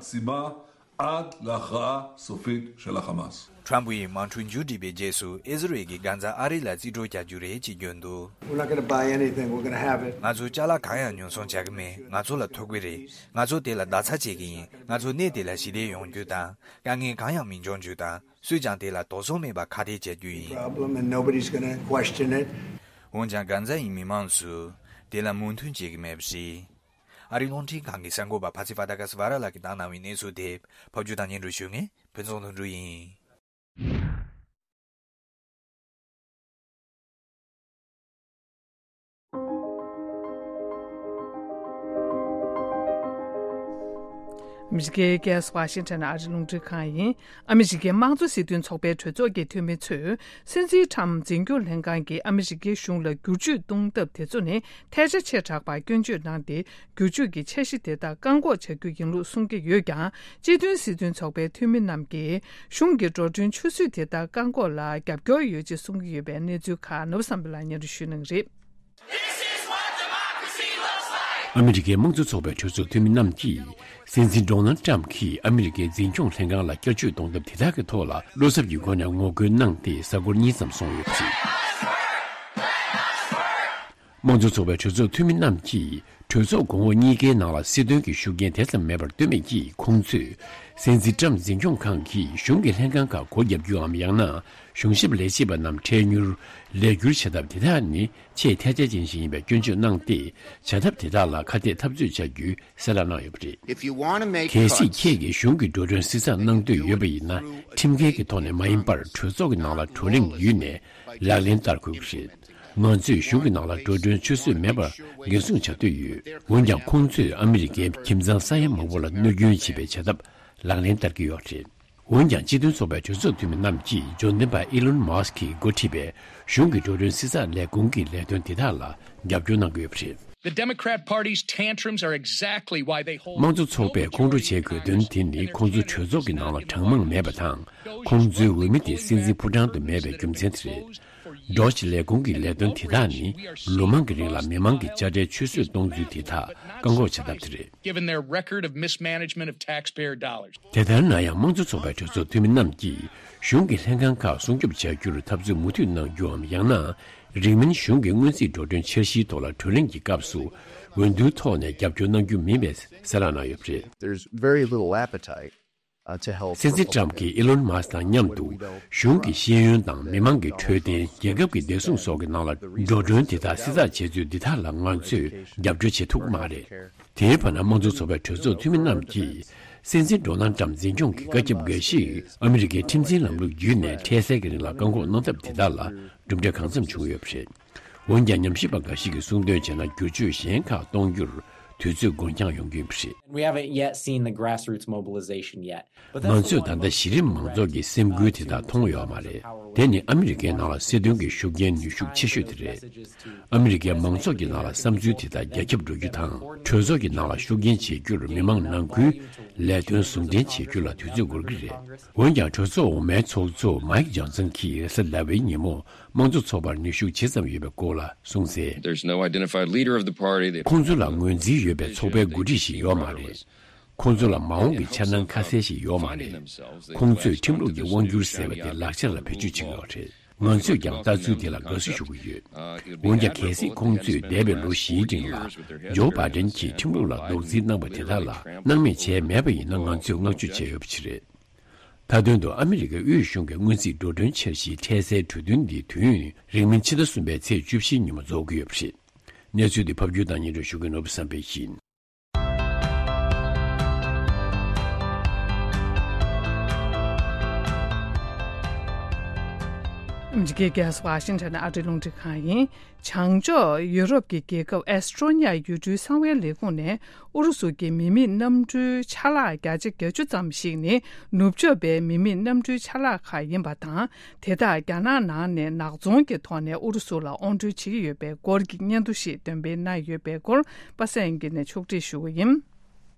עד להכרעה סופית של החמאס. ཁྲམ་ཕུའི་དམག་འཁྲུག་མཇུག་སྒྲིལ་བའི་རྗེས་སུ་ཨི་ཟི་རེལ་གྱིས་གྷན་ཛ་ཨ་རི་ལ་རྩིས་སྤྲོད་བྱ་རྒྱུ་རེད་ཅེས་བརྗོད་འདུག We're not going to buy anything. We're going to have it. ང་ཚོ་ཅ་ལག་གང་ཡང་ཉོ་ཚོང་བྱ་གི་མེད། ང་ཚོ་ལ་ཐོབ་གི་རེད། ང་ཚོ་དེ་ལ་བརྡ་ཚ་བྱེད་ཀྱི་ཡིན། ང་ཚོ་གནས་དེ་ལ་ཞི་བདེ་ཡོང་རྒྱུ་དང་། དཀའ་ངལ་གང་ཡང་མི་འབྱུང་རྒྱུ་དང་། སུས་ཀྱང་དེ་ལ་དོགས་ཟོན་མེད་པར་ཁ་གཏད་བྱ་རྒྱུ་ཡིན། Problem, and nobody's going to question it. འོན་ཀྱང་གྷན་ཛ་ཡི་མི་མང་ཚོས་དེ་ལ་མོས་མཐུན་བྱེད་ཀྱི་མེད་པ་རེད། ཨ་རིའི་རླུང་འཕྲིན་ཁང་གི་གསར་འགོད་པ་ཕ་ཚི་ཧྥ་ཏ་ཀ་སི་ཝ་ར་ལགས་ཀྱིས་བཏང་གནང་བའི་གནས་ཚུལ་དེ་ཕབ་སྒྱུར་དང་སྙན་སྒྲོན་ཞུ་མཁན་ཕུན་ཚོགས་དོན་གྲུབ་ཡིན། ཨ་མི་རི་ཀའི་རྒྱལ་ས་ཝ་ཤིང་ཊོན་ཨ་རིའི་རླུང་འཕྲིན་ཁང་ཡིན། ཨ་མི་རི་ཀའི་དམངས་གཙོ་སྲིད་དོན་ཚོགས་པའི་གྲོས་ཚོགས་ཀྱི་འཐུས་མི་ཚོས། སྲིད་འཛིན་ཁྲམ་འཛིན་སྐྱོང་ལྷན་ཁང་གིས་ཨ་མི་རི་ཀའི་གཞུང་ལ་བསྒྱུར་བཅོས་གཏོང་ཐབས་དེ་ཚོ་ནི་ཐལ་ཆ་ཆེ་དྲགས་པར་སྐྱོན་བརྗོད་གནང་སྟེ། བསྒྱུར་བཅོས་ཀྱི་འཆར་གཞི་དེ་དག་བཀག་འགོག་བྱ་རྒྱུ་ཡིན་ལུགས་གསུང་གི་ཡོད་ཀྱང་། སྤྱི་མཐུན་སྲིད་དོན་ཚོགས་པའི་འཐུས་མི་རྣམས་ཀྱིས་གཞུང་གི་འགྲོ་གྲོན་ཆུད་ཟོས་དེ་དག་བཀག་འགོག་ལ་རྒྱབ་སྐྱོར་ཡོད་ཅེས་གསུང་གི་ཡོད་པའི་གནས་ཚུལ་ཁག་ནོར་བུ་བསམ་འཕེལ་ལགས་སྙན་སྒྲོན་ཞུ་གནང་གི་རེད། This is what democracy looks like. ཨ་མི་རི་ཀའི་དམངས་གཙོ་ཚོགས་པའི་གྲོས་ཚོགས་འཐུས་མི་རྣམས་ཀྱིས། སྲིད་འཛིན་ཌོ་ནལ་ཊམ་གྱིས་ཨ་མི་རི་ཀའི་འཛིན་སྐྱོང་ལྷན་ཁང་ལ་བསྐྱར་བཅོས་གཏོང་ཐབས་དེ་དག་གི་ཐོག་ལ་བློ་འཚབ་ཀྱི་སྒོ་ནས་ངོ་རྒོལ་གནང་སྟེ་གཟའ་འཁོར་གཉིས་ཙམ་སོང་ཡོད་པ་རེད། དམངས་གཙོ་ཚོགས་པའི་གྲོས་ཚོགས་འཐུས་མི་རྣམས་ཀྱིས་གྲོས་ཚོགས་གོང་འོག་གཉིས་ཀའི་ནང་ལ་སྲིད་དོན་གྱི་ཤུགས་རྐྱེན་དེ་ཙམ་མེད་པར་སྟོན་མེད་ཀྱིས། ཁོང་ཚོས་སྲིད་འཛིན་ཊམ་འཛིན་སྐྱོང་ཁང་གིས་གཞུང་གི་ལྷན་ཁང་ཁག་སྒོ་བརྒྱབ་རྒྱུའམ། ཡང་ན་གཞུང་ཞབས་ལས་བྱེད་པ་རྣམས་འཕྲལ་མྱུར་ལས་བསྒྱུར་བྱ་ཐབས་དེ་དག་ནི་ཆེས་ཐལ་ཆ་ཅན་ཞིག་ཡིན་པའི་སྐྱོན་བརྗོད་གནང་སྟེ། བྱ་ཐབས་དེ་དག་ལ་ཁ་གཏད་འཐབ་རྩོད་བྱ་རྒྱུའི་གསལ་བསྒྲགས་གནང་ཡོད་པ་རེད། If you want to make cuts, གལ་སྲིད་ཁྱེད་ཀྱིས་གཞུང་གི་འགྲོ་གྲོན་བསྲི་ཚགས་གནང་འདོད་ཡོད་པ་ཡིན་ན། ཁྲིམས་འགལ་གྱི་ཐོག་ནས་མ་ཡིན་པར་གྲོས་ཚོགས་ཀྱི་ནང་ལ་བགྲོ་གླེང་བརྒྱུད་ནས་ལག་ལེན་བསྟར་དགོས་ཀྱི་རེད། ང་ཚོས་གཞུང་གི་ནང་ལ་འགྲོ་གྲོན་ཆུད་ཟོས་མེད་པར་འགན་སྲུང་བྱ་འདོད་ཡོད། འོན་ཀྱང་། ཁོང་ཚོས་ཨ་མི་རི་ཀའི་ཁྱིམ་ཚང་ས་ཡ་མང་པོ་ལ་གནོད་སྐྱོན་བྱེད་པའི་བྱ་ཐབས་ལག་ལེན་བསྟར་གྱི་ཡོད་རེད། འོན་ཀྱང་། སྤྱི་མཐུན་ཚོགས་པའི་གྲོས་ཚོགས་འཐུས་མི་རྣམས་ཀྱིས་འབྱོར་ལྡན་པ་ཨི་ལོན་མཱ་སྐི་གིས་འགོ་ཁྲིད་པའི་གཞུང་གི་འགྲོ་གྲོན་བསྲི་ཚགས་ལས་ཁུངས་ཀྱི་ལས་དོན་དེ་དག་ལ་རྒྱབ་སྐྱོར་གནང་གི་ཡོད་པ་རེད། The Democrat Party's tantrums are exactly why they hold དམངས་གཙོ་ཚོགས་པས་ཁོང་ཁྲོ་བྱེད་དགོས་དོན་དེ་ནི། ཁོང་ཚོ་གྲོས་ཚོགས་ཀྱི་ནང་ལ་གྲངས་མང་མེད་པ་དང་། ཁོང་ཚོའི་འོས་མི་དེ་སྲིད་འཛིན་ཕོ་བྲང་དུ་མེད་པའི་རྒྱུ་མཚན་དེ་རེད། འགྲོ་བཞིན་ལས་ཁུངས་ཀྱི་ལས་དོན་དེ་དག་ནི། ལོ་མང་གི་རིང་ལ་མི་མང་གི་དཔྱ་ཁྲལ་ཆུད་ཟོས་གཏོང་ཚུལ་དེ་དག་བཀག་འགོག་བྱ་ཐབས་དེ་རེད། Given their record of mismanagement of taxpayer dollars. དེ་ལྟར་ན་ཡང་། དམངས་གཙོ་ཚོགས་པའི་གྲོས་ཚོགས་འཐུས་མི་རྣམས་ཀྱིས་གཞུང་གི་ལྷན་ཁང་ཁག་སྲུང་སྐྱོབ་བྱ་རྒྱུར་འཐབ་རྩོད་མུ་མཐུད་གནང་རྒྱུའམ། ཡང་ན་རིང་མིན་གཞུང་གི་སྔོན་རྩིས་འགྲོ་གྲོན་འཆར་གཞིའི་ཐོག་ལ་བགྲོ་གླེང་གི་སྐབས་སུ་འོས་བསྡུའི་ཐོག་ནས་རྒྱབ་སྐྱོར་གནང་རྒྱུ་མིན་པའི་གསལ་བསྒྲགས་གནང་ཡོད་པ་རེད། There's very little appetite, uh, to help སྲིད་འཛིན་ཊམ་གྱིས་ཨི་ལོན་མཱ་སྐ་དང་མཉམ་དུ་གཞུང་གི་ཤེས་ཡོན་དང་མི་མང་གི་འཕྲོད་བསྟེན། རྒྱལ་ཁབ་ཀྱི་བདེ་སྲུང་སོགས་ཀྱི་ནང་ལ་འགྲོ་གྲོན་དེ་དག་བསྲི་ཚགས་བྱེད་ཚུལ་འདི་དག་ལ་ང་ཚོས་རྒྱབ་སྐྱོར་བྱེད་ཐུབ་མ་རེད། དེའི་བར་ན། དམངས་གཙོ་ཚོགས་པའི་གྲོས་ཚོགས་འཐུས་མི་རྣམས་ཀྱིས་སྲིད་འཛིན་ཌོ་ནལ་ཊམ་འཛིན་སྐྱོང་གི་བཀའ་ཁྱབ་འགའ་ཞིག་ཨ་མི་རི་ཀའི་ཁྲིམས་འཛིན་ལམ་ལུགས་བརྒྱུད་ནས་འཕྲལ་སེལ་གྱི་རིང་ལ་བཀག་འགོག་གནང་ཐབས་དེ་དག་ལ་གྲུབ་འབྲས་གང་འཚམ་བྱུང་ཡོད་པ་རེད། འོན་ཀྱང་། ཉམས་ཞིབ་པ་འགའ་ཞིག་གིས་གསུངས་དོན་བྱས་ན། བསྒྱུར་བཅོས་གཞན་ཁག་གཏོང་རྒྱུར་དུས་ཚོད་འགོར་འགྱངས་ཡོང་གི་ཡོད་པ་རེད། We haven't yet seen the grassroots mobilization yet. ང་ཚོས་ད་ལྟ་གཞི་རིམ་མང་ཚོགས་ཀྱི་སེམས་འགུལ་དེ་དག་མཐོང་ཡོད་མ་རེད། དེ་ནི་ཨ་མི་རི་ཀའི་ནང་ལ་སྲིད་དོན་གྱི་ཤུགས་རྐྱེན་ནུས་ཤུགས་ཆེ་ཤོས་དེ་རེད། ཨ་མི་རི་ཀའི་མང་ཚོགས་ཀྱི་ནང་ལ་བསམ་ཚུལ་དེ་དག་རྒྱ་ཁྱབ་འགྲོ་རྒྱུ་དང་། གྲོས་ཚོགས་ཀྱི་ནང་ལ་ཤུགས་རྐྱེན་བྱེད་རྒྱུར་མི་མང་ནང་ཁུལ་ལས་དོན་ཟུང་འབྲེལ་བྱེད་རྒྱུ་ལ་དུས་ཚོད་འགོར་གྱི་རེད། འོན་ཀྱང་། གྲོས་ཚོགས་འོག་མའི་ཚོགས་གཙོ་མའིག་ཇོན་སན་གྱིས་རེས་གཟའ་ཟླ་བའི་ཉིན་མོ་དམངས་གཙོ་ཚོགས་པར་ནུས་ཤུགས་ཇི་ཙམ་ཡོད་པའི་སྐོར་ལ་གསུངས་གསལ། There's no identified leader of the party. They ཁོང་ཚོ་ལ་ངོས་འཛིན་ཡོད་པའི་ཚོགས་པའི་འགོ་ཁྲིད་ཞིག་ཡོད་མ་རེད། ཁོང་ཚོ་ལ་མ་འོངས་ཀྱི་འཆར་སྣང་ཁ་གསལ་ཞིག་ཡོད་མ་རེད། ཁོང་ཚོས་ཁྲིམས་ལུགས་ཀྱི་དབང་སྒྱུར་ཟེར་བ་དེ་ལག་ཆ་ལ་བེད་སྤྱོད་བྱེད་ཀྱི་ཡོད་རེད། ང་ཚོས་ཀྱང་ལྟ་ཚུལ་དེ་ལ་དགའ་བསུ་ཞུ་གི་ཡོད། འོན་ཀྱང་། གལ་སྲིད་ཁོང་ཚོས་འདས་པའི་ལོ་བཞིའི་རིང་ལ་ཇོ་བྷའི་ཌེན་གྱིས་ཁྲིམས་ལུགས་ལ་རྡོག་རྫིས་གནང་བ་དེ་དག་ལ་སྣང་མེད་བྱས་མེད་པ་ཡིན་ན། ང་ཚོས་བསྔགས་བརྗོད་བྱས་ཡོད་པ་ཞིག་རེད། མཐའ་དོན་དུ། ཨ་མི་རི་ཀའི་དབུས་གཞུང་གི་སྔོན་རྩིས་འགྲོ་གྲོན་འཆར་གཞིའི་འཕྲལ་སེལ་གྲོས་མཐུན་འདི་དུས་ཡུན་རིང་མིན་ཕྱི་ཟླ་གསུམ་པའི་ཚེས་བཅུ་བཞིའི་ཉིན་མོ་རྫོགས་ཀྱི་ཡོད་པ་རེད། གནས་ཚུལ་འདི་ཕབ་སྒྱུར་དང་སྙན་སྒྲོན་ཞུ་མཁན་ནོར་བུ་བསམ་འཕེལ་ཡིན། ཨ་མི་རི་ཀའི་རྒྱལ་ས་ཝ་ཤིང་ཊོན་ཨ་རིའི་རླུང་འཕྲིན་ཁང་ཡིན། བྱང་ཕྱོགས་ཡུ་རོབ་ཀྱི་རྒྱལ་ཁབ་ཨེ་སི་ཀྲོ་ནི་ཡ་ཡུལ་གྲུའི་གསང་བའི་ལས་ཁུངས་ནས་ཨུ་རུ་སུ་གྱི་མི་མེད་གནམ་གྲུའི་ཆ་ལག་བརྒྱ་ཆ་བརྒྱད་ཅུ་ཙམ་ཞིག་ནི་ནུབ་ཕྱོགས་པའི་མི་མེད་གནམ་གྲུའི་ཆ་ལག་ཁག་ཡིན་པ་དང་། དེ་དག་རྒྱ་ནག་ནང་ནས་ནག་ཚོང་གི་ཐོག་ནས་ཨུ་རུ་སུ་ལ་དབོར་འདྲེན་བྱེད་ཀྱི་ཡོད་པའི་སྐོར་གྱི་སྙན་ཐོ་ཞིག་འདོན་སྤེལ་གནང་ཡོད་པའི་སྐོར་པ་སངས་དབྱངས་སྐྱིད་ནས་ཕྱོགས་སྒྲིག་ཞུ་གི་ཡིན།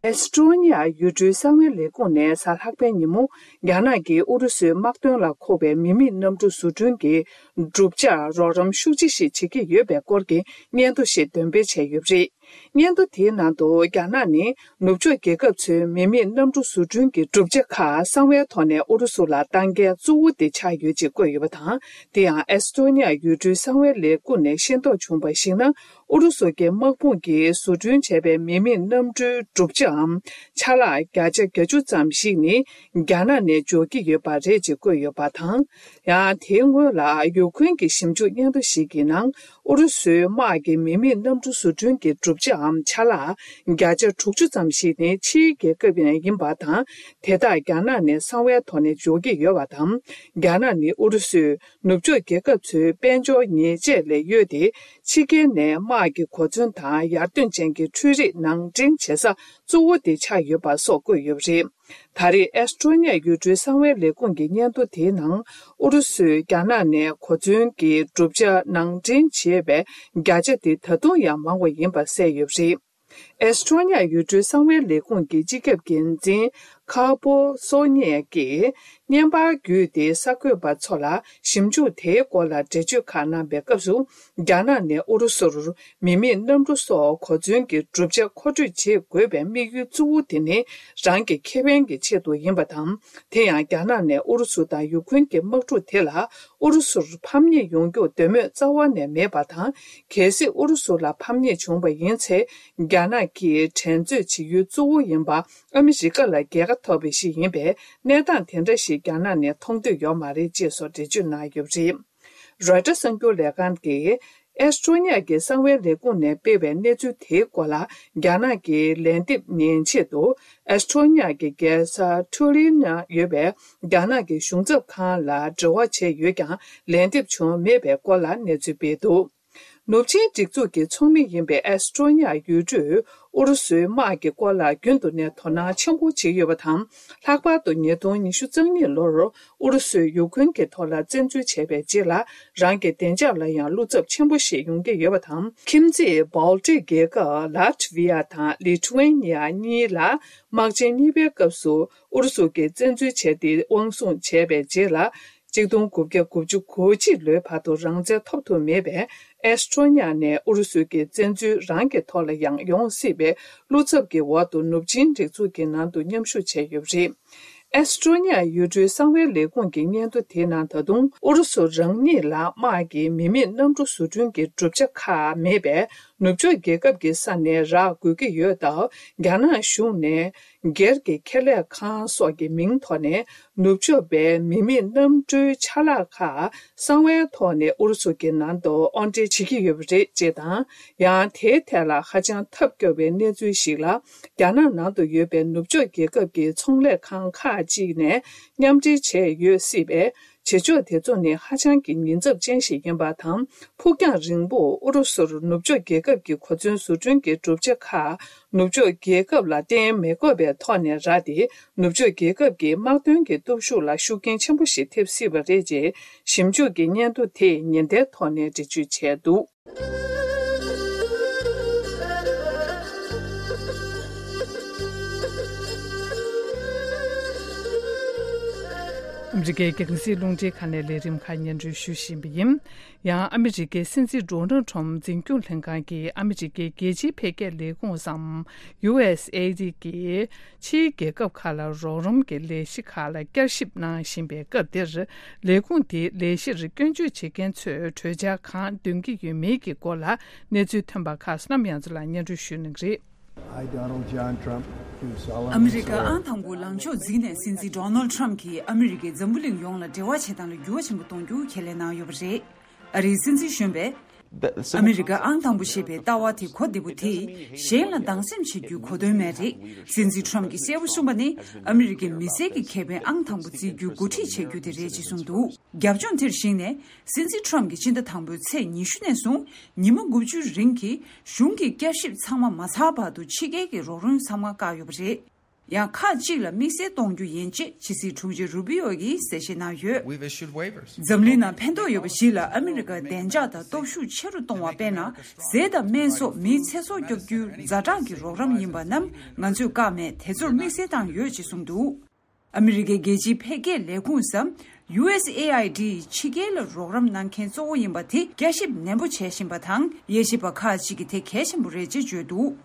ཨེ་སི་ཀྲོ་ནི་ཡ་ཡུལ་གྲུའི་གསང་བའི་ལས་ཁུངས་ནས་གཟའ་ལྷག་པའི་ཉིན་མོ། རྒྱ་ནག་གིས་ཨུ་རུ་སུའི་དམག་དོན་ལ་མཁོ་བའི་མི་མེད་གནམ་གྲུ་བཟོ་སྐྲུན་གྱི་གྲུབ་ཆར་རོགས་རམ་ཤུགས་ཆེ་ཞིག་བྱེད་ཀྱི་ཡོད་པའི་སྐོར་གྱི་སྙན་ཐོ་ཞིག་འདོན་སྤེལ་བྱས་ཡོད་པ་རེད། སྙན་ཐོ་དེའི་ནང་དུ་རྒྱ་ནག་ནི་ནུབ་ཕྱོགས་རྒྱལ་ཁབ་ཚོའི་མི་མེད་གནམ་གྲུ་བཟོ་སྐྲུན་གྱི་གྲུབ་ཆ་ཁག་གསང་བའི་ཐོག་ནས་ཨུ་རུ་སུ་ལ་བཏང་མཁན་གཙོ་བོ་དེ་ཆགས་ཡོད་ཅེས་བཀོད་ཡོད་པ་དང་། དེ་ཡང་ཨེ་སི་ཀྲོ་ནི་ཡ་ཡུལ་གྲུའི་གསང་བའི་ལས་ཁུངས་ནས་ཤེས་རྟོགས་བྱུང་བར་གཞིགས་ན། ཨུ་རུ་སུ་གྱི་དམག་དཔུང་གིས་བཟོ་སྐྲུན་བྱས་པའི་མི་མེད་གནམ་གྲུའི་གྲུབ་ཆའམ་ཆ་ལག་བརྒྱ་ཆ་བརྒྱད་ཅུ་ཙམ་ཞིག་ནི་རྒྱ་ནག་ནས་འབྱོར་གྱི་ཡོད་པ་རེད་ཅེས་བཀོད་ཡོད་པ་དང་། ཡང་དེའི་སྔོན་ལ་ཡུ་ཁུན་གྱི་ཞིབ་འཇུག་སྙན་ཐོ་ཞིག་གི་ནང་། ཨུ་རུ་སུའི་དམག་གི་མི་མེད་གནམ་གྲུ་བཟོ་སྐྲུན་གྱི་གྲུབ་ཆའམ་ཆ་ལག་བརྒྱ་ཆ་དྲུག་ཅུ་ཙམ་ཞིག་ནི་ཕྱིའི་རྒྱལ་ཁབ་ཡིན་པ་དང་། དེ་དག་རྒྱ་ནག་ནས་གསང་བའི་ཐོག་ནས་འབྱོར་གྱི་ཡོད་པ་དང་། རྒྱ་ནག་ནི་ཨུ་རུ་སུས་ནུབ་ཕྱོགས་རྒྱལ་ཁབ་ཚོའི་དཔལ་འབྱོར་ཉེས་ཆད་ལས་གཡོལ་ཏེ། ཕྱི་རྒྱལ་ནས་དམག་གི་གོ་མཚོན་དང་ཡར་ཐོན་ཅན་གྱི་འཕྲུལ་རིག་ནང་འདྲེན་བྱེད་ས་གཙོ་བོ་དེ་ཆགས་ཡོད་པ་སོགས་བཀོད་ཡོད་པ་རེད། ད་རེས་ཨེ་སི་ཀྲོ་ནི་ཡ་ཡུལ་གྲུའི་གསང་བའི་ལས་ཁུངས་ཀྱི་སྙན་ཐོ་དེའི་ནང་། ཨུ་རུ་སུས་རྒྱ་ནག་ནས་གོ་མཚོན་གྱི་གྲུབ་ཆ་ནང་འདྲེན་བྱས་པའི་བརྒྱ་ཆ་དེ་ད་དུང་ཡང་མང་བ་ཡིན་པ་གསལ་ཡོད་པ་རེད། ཨེ་སི་ཀྲོ་ནི་ཡ་ཡུལ་གྲུའི་གསང་བའི་ལས་ཁུངས་ཀྱི་སྤྱི་ཁྱབ་འགན་འཛིན་ཁ་པོ་སོ་ཉེ་ཡ་གིས་བརྙན་པར་བརྒྱུད་དེ་གསར་འགོད་པ་ཚོ་ལ་ཞིབ་འཇུག་དེའི་སྐོར་ལ་འགྲེལ་བརྗོད་ཁག་གནང་པའི་སྐབས་སུ། རྒྱ་ནག་ནས་ཨུ་རུ་སུར་མི་མེད་གནམ་གྲུ་སོགས་གོ་མཚོན་གྱི་གྲུབ་ཆ་མཁོ་སྤྲོད་བྱེད་དགོས་པའི་དམིགས་ཡུལ་གཙོ་བོ་དེ་ནི་རང་གི་ཁེ་ཕན་གྱི་ཆེད་དུ་ཡིན་པ་དང་། དེ་ཡང་རྒྱ་ནག་ནས་ཨུ་རུ་སུ་དང་ཡུ་ཁུན་གྱི་དམག་འཁྲུག་དེ་ལ་ཨུ་རུ་སུར་ཕམ་ཉེས་ཡོང་རྒྱུར་འདོད་མོས་རྩ་བ་ནས་མེད་པ་དང་། གལ་སྲིད་ཨུ་རུ་སུ་ལ་ཕམ་ཉེས་བྱུང་བ་ཡིན་ཚེ། རྒྱ་ནག་གིས་འགྲན་རྩོད་བྱེད་ཡུལ་གཙོ་བོ་ཡིན་པ་ཨ་མི་རི་ཀ་ལ་རྒྱལ་ཁ་ཐོབ་པ་ཞིག་ཡིན་པས། གནས་སྟངས་དེ་འདྲ་ཞིག་རྒྱ་ནག་ནས་མཐོང་འདོད་ཡོད་མ་རེད་ཅེས་སོགས་འགྲེལ་བརྗོད་གནང་ཡོད་པ་རེད། རོའི་ཊར་གསར་འགྱུར་ལས་ཁང་གིས་ཨེ་སི་ཀྲོ་ནི་ཡ་གི་གསང་བའི་ལས་ཁུངས་ནས་སྤེལ་བའི་གནས་ཚུལ་དེའི་སྐོར་ལ། རྒྱ་ནག་གི་ལན་འདེབས་ཉན་ཆེད་དུ། ཨེ་སི་ཀྲོ་ནི་ཡ་གི་རྒྱལ་ས་ཐུ་ལི་ན་ཡོད་པའི་རྒྱ་ནག་གི་གཞུང་ཚབ་ཁང་ལ་འབྲེལ་བ་བྱས་ཡོད་ཀྱང་། ལན་འདེབས་བྱུང་མེད་པའི་སྐོར་ལ་གནས་ཚུལ་སྤེལ་འདུག་ནུབ་ཆིངས་སྒྲིག་འཛུགས་ཀྱི་ཚོགས་མི་ཡིན་པའི་ཨེ་སི་ཀྲོ་ནི་ཡ་ཡུལ་གྲུས་ཨུ་རུ་སུའི་དམག་གི་སྐོར་ལ་རྒྱུན་དུ་ནས་དོ་སྣང་ཆེན་པོ་བྱེད་ཀྱི་ཡོད་པ་དང་། ལྷག་པར་དུ་ཉིས་སྟོང་ཉི་ཤུ་རྩ་གཉིས་ལོར་ཨུ་རུ་སུས་ཡུ་ཁུན་གྱི་ཐོག་ལ་བཙན་འཛུལ་བྱས་པའི་རྗེས་ལ། རང་གི་བདེ་འཇགས་ལ་ཡང་བློ་འཚབ་ཆེན་པོ་ཞིག་ཡོང་གི་ཡོད་པ་དང་། ཁྱིམ་མཚེས་སྦལ་ཊིག་རྒྱལ་ཁབ་ལ་ཊི་ཝི་ཡ་དང་ལི་ཐུ་ཝེ་ནི་ཡ་གཉིས་ལ། དམག་ཆེན་གཉིས་པའི་སྐབས་སུ་ཨུ་རུ་སུ་གྱིས་བཙན་འཛུལ་བྱས་ཏེ་དབང་བཟུང་བྱས་པའི་རྗེས་ལ། གཅིག་སྟོང་དགུ་བརྒྱ་དགུ་བཅུ་གོ་གཅིག་ལོའི་བར་དུ་རང་བཙན་ཐོབ་ཐུབ་མེད་པས། ཨེ་སི་ཀྲོ་ནི་ཡ་ནས་ཨུ་རུ་སུ་གྱི་བཙན་འཛུལ་རང་གི་ཐོག་ལ་ཡང་ཡོང་སྲིད་པའི་བློ་འཚབ་ཀྱི་འོག་ཏུ་ནུབ་ཆིངས་སྒྲིག་འཛུགས་ཀྱི་ནང་དུ་མཉམ་ཞུགས་བྱས་ཡོད་པ་རེད། ཨེ་སི་ཀྲོ་ནི་ཡ་ཡུལ་གྲུའི་གསང་བའི་ལས་ཁུངས་ཀྱི་སྙན་ཐོ་དེའི་ནང་། ད་དུང་ཨུ་རུ་སུ་རང་ཉིད་ལ་དམག་གི་མི་མེད་གནམ་གྲུ་བཟོ་སྐྲུན་གྱི་གྲུབ་ཆ་ཁག་མེད་པས། ནུབ་ཕྱོགས་རྒྱལ་ཁབ་ཀྱི་ས་ནས་རག་དགོས་ཀྱི་ཡོད་སྟབས། རྒྱ་ནག་གཞུང་ནས། སྒེར་གྱི་ཁེ་ལས་ཁང་སོགས་ཀྱི་མིང་ཐོག་ནས་ནུབ་ཕྱོགས་པའི་མི་མེད་གནམ་གྲུའི་ཆ་ལག་ཁག་གསང་བའི་ཐོག་ནས་ཨུ་རུ་སུ་གྱི་ནང་དུ་དབོར་འདྲེན་བྱེད་ཀྱི་ཡོད་པ་རེད་ཅེས་དང་། ཡང་དེའི་ཐད་ལ་ཧ་ཅང་ཐབས་སྐྱོ་བའི་གནས་ཚུལ་ཞིག་ལ། རྒྱ་ནག་ནང་དུ་ཡོད་པའི་ནུབ་ཕྱོགས་རྒྱལ་ཁབ་ཀྱི་ཚོང་ལས་ཁང་ཁག་ཅིག་ནས་མཉམ་འབྲེལ་བྱས་ཡོད་སྲིད་པས། བྱེད་ཕྱོགས་དེ་ཚོ་ནི་ཧ་ཅང་གི་ཉེན་ཚབས་ཅན་ཞིག་ཡིན་པ་དང་། ཕུགས་རྒྱང་རིང་པོར་ཨུ་རུ་སུར་ནུབ་ཕྱོགས་རྒྱལ་ཁབ་ཀྱི་གོ་མཚོན་བཟོ་སྐྲུན་གྱི་གྲུབ་ཆ་ཁག་ནུབ་ཕྱོགས་རྒྱལ་ཁབ་ལ་བརྟེན་མི་དགོས་པའི་ཐོག་ནས་རག་སྟེ། ནུབ་ཕྱོགས་རྒྱལ་ཁབ་ཀྱི་དམག་དོན་གྱི་སྟོབས་ཤུགས་ལ་ཤུགས་རྐྱེན་ཆེན་པོ་ཞིག་ཐེབས་སྲིད་པ་རེད་ཅེས་ཞིབ་འཇུག་གི་སྙན་ཐོ་དེས་ཉེན་བརྡའི་ཐོག་ནས་འགྲེལ་བརྗོད་བྱས་འདུག་ཨ་མི་རི་ཀའི་རྒྱང་སྲིང་རླུང་འཕྲིན་ཁང་ནས་ལས་རིམ་ཁག་སྙན་སྒྲོན་ཞུ་བཞིན་པ་ཡིན། ཡང་ཨ་མི་རི་ཀའི་སྲིད་འཛིན་ཌོ་ནལ་ཁྲོམ་འཛིན་སྐྱོང་ལྷན་ཁང་གིས་ཨ་མི་རི་ཀའི་རྒྱལ་སྤྱིའི་འཕེལ་རྒྱས་ལས་ཁུངས་སམ། ཡུ་ཨེས་ཨེ་ཌི་གིས་ཕྱིའི་རྒྱལ་ཁབ་ཁག་ལ་རོགས་རམ་གྱི་ལས་གཞི་ཁག་ལ་བསྐྱར་ཞིབ་གནང་བཞིན་པའི་སྐབས་འདིར། ལས་ཁུངས་དེའི་ལས་གཞིར་སྐྱོན་བརྗོད་བྱེད་མཁན་ཚོས་གྲོས་འཆར་གང་འདོན་གྱི་ཡོད་མེད་ཀྱི་སྐོར་ལ་གནས་ཚུལ་ཐོན་པ་ཁག་བསོད་ནམས་ཡང་རྩེ་ལགས་སྙན་སྒྲོན་ཞུ་གནང་གི་རེད། I, Donald John Trump, do solemnly ཨ་མི་རི་ཀ་swear ཨང་དང་པོ་ལངས་ཕྱོགས་འཛིན་ནས་སྲིད་འཛིན་ཌོ་ནལ་ཁྲམ་གྱིས་ཨ་མི་རི་ཀའི་འཛམ་བུ་གླིང་ཡོངས་ལ་འབྲེལ་བ་བྱེད་སྟངས་ལ་འགྱུར་བ་ཆེན་པོ་གཏོང་རྒྱུ་ཁས་ལེན་གནང་ཡོད་པ་རེད། ཨ་རིའི་སྲིད་འཛིན་གཞོན་པས། ཨ་མི་རི་ཀ་ཨང་དང་པོ་ཞེས་པའི་ལྟ་བ་དེ་གོ་བདེ་པོ་དེས་གཞན་ལ་སྡང་སེམས་བྱེད་རྒྱུའི་གོ་དོན་མེད་རེད། སྲིད་འཛིན་ཁྲམ་གྱིས་གསལ་པོ་གསུངས་པ་ནི། ཨ་མི་རི་ཀའི་མི་སེར་གྱི་ཁེ་ཕན་ཨང་དང་པོ་བརྩི་རྒྱུའི་འགོ་ཁྲིད་བྱེད་རྒྱུ་དེ་རེད་ཅེས་གསུངས་འདུག་རྒྱབ་ལྗོངས་དེར་གཞིགས་ནས། སྲིད་འཛིན་ཁྲམ་གྱིས་ཕྱི་ཟླ་དང་པོའི་ཚེས་ཉི་ཤུ་ནས་བཟུང་ཉི་མ་དགུ་བཅུའི་རིང་གི་གཞུང་གི་བསྐྱར་ཞིབ་ཚང་མ་མ་ཚར་བར་དུ་ཕྱི་རྒྱལ་གྱི་རོགས་རམ་ཚང་མ་བཀག་ཡོད་པ་རེད། ཡང་ཁག་ཅིག་ལ་དམིགས་བསལ་གཏོང་རྒྱུ་ཡིན་ཅེས་ཕྱི་སྲིད་དྲུང་ཆེ་རུ་པི་ཡོ་ཡིས་གསལ་བཤད་གནང་ཡོད། We've issued waivers. འཛམ་གླིང་ནང་ཕན་ཐོགས་ཡོད་པ་ཞིག་ལ་ཨ་མི་རི་ཀའི་བདེ་འཇགས་དང་སྟོབས་ཤུགས་ཆེ་རུ་གཏོང་བ། དཔེར་ན། ཟས་དང་སྨན་སོགས་མིའི་ཚེ་སྲོག་སྐྱོབ་རྒྱུའི་ཛ་དྲག་གི་རོགས་རམ་ཡིན་པ་རྣམས་ང་ཚོས་བཀག་མེད་དེ་ཚོར་དམིགས་བསལ་བཏང་ཡོད་ཅེས་གསུངས་འདུག་ཨ་མི་རི་ཀའི་རྒྱལ་སྤྱིའི་འཕེལ་རྒྱས་ལས་ཁུངས་སམ། ཡུ་ཨེས་ཨེ་ཨའི་ཌི་ཕྱི་རྒྱལ་ལ་རོགས་རམ་གནང་མཁན་གཙོ་བོ་ཡིན་པ་དེ་བསྐྱར་ཞིབ་ནན་པོ་བྱེད་བཞིན་པ་དང་། དབྱེ་ཞིབ་པ་ཁག་ཅིག་གིས་དེ་གལ་ཆེན་པོ་རེད་ཅེས་བརྗོད་འདུག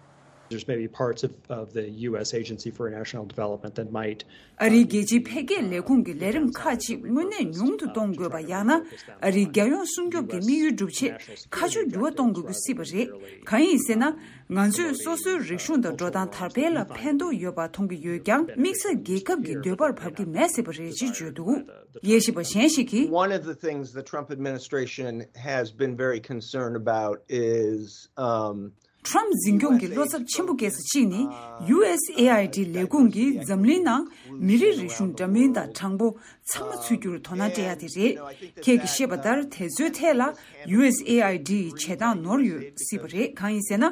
There's maybe parts of, of the U S Agency for International Development that might ཨ་རིའི་རྒྱལ་སྤྱིའི་འཕེལ་རྒྱས་ལས་ཁུངས་ཀྱི་ལས་རིམ་ཁག་ཅིག་དངོས་གནས་ཉུང་དུ་གཏོང་དགོས་པ། ཡང་ན་ཨ་རིའི་རྒྱལ་ཡོངས་སྲུང་སྐྱོབ་ཀྱི་དམིགས་ཡུལ་སྒྲུབ་ཆེད་ཁ་ཕྱོགས་འགྱུར་བ་གཏོང་དགོས་ཀྱི་སྲིད་པ་རེད། གང་ཡིན་ཟེར་ན། ང་ཚོས་སོ་སོའི་རིག་གཞུང་དང་འགྲོ་སྟངས་དར་སྤེལ་ལ་ཕན་ཐོགས་ཡོད་པ་མཐོང་གི་ཡོད་ཀྱང་། དམིགས་བསལ་རྒྱལ་ཁབ་ཀྱི་འདོད་པར་བབས་ཀྱི་མེད་སྲིད་པ་རེད་ཅེས་བརྗོད་འདུག་དབྱེ་ཞིབ་པ་གཞན་ཞིག་གིས། One of the things the Trump administration has been very concerned about is, um, ཁྲོམ་འཛིན་སྐྱོང་གི་བློ་འཚབ་ཆེན་པོ་སྐྱེ་ས་གཅིག་ནི། ཡུ་ཨེས་ཨེ་ཨའི་ཌི་ལས་ཁུངས་ཀྱིས་འཛམ་གླིང་ནང་མི་རིགས་རིག་གཞུང་འདྲ་མིན་དང་གྲངས་འབོར་ཚང་མ་ཚུད་རྒྱུར་དོ་སྣང་སྤྲད་ཡ་དེ་རེད། ཁྱེད་ཀྱིས་ཤེས་པ་ལྟར། དེ་ཚོའི་ཐད་ལ་ཡུ་ཨེས་ཨེ་ཨའི་ཌི་ཡི་བྱེད་སྟངས་ནོར་ཡོད་སྲིད་པ་རེད། གང་ཡིན་ཟེར་ན།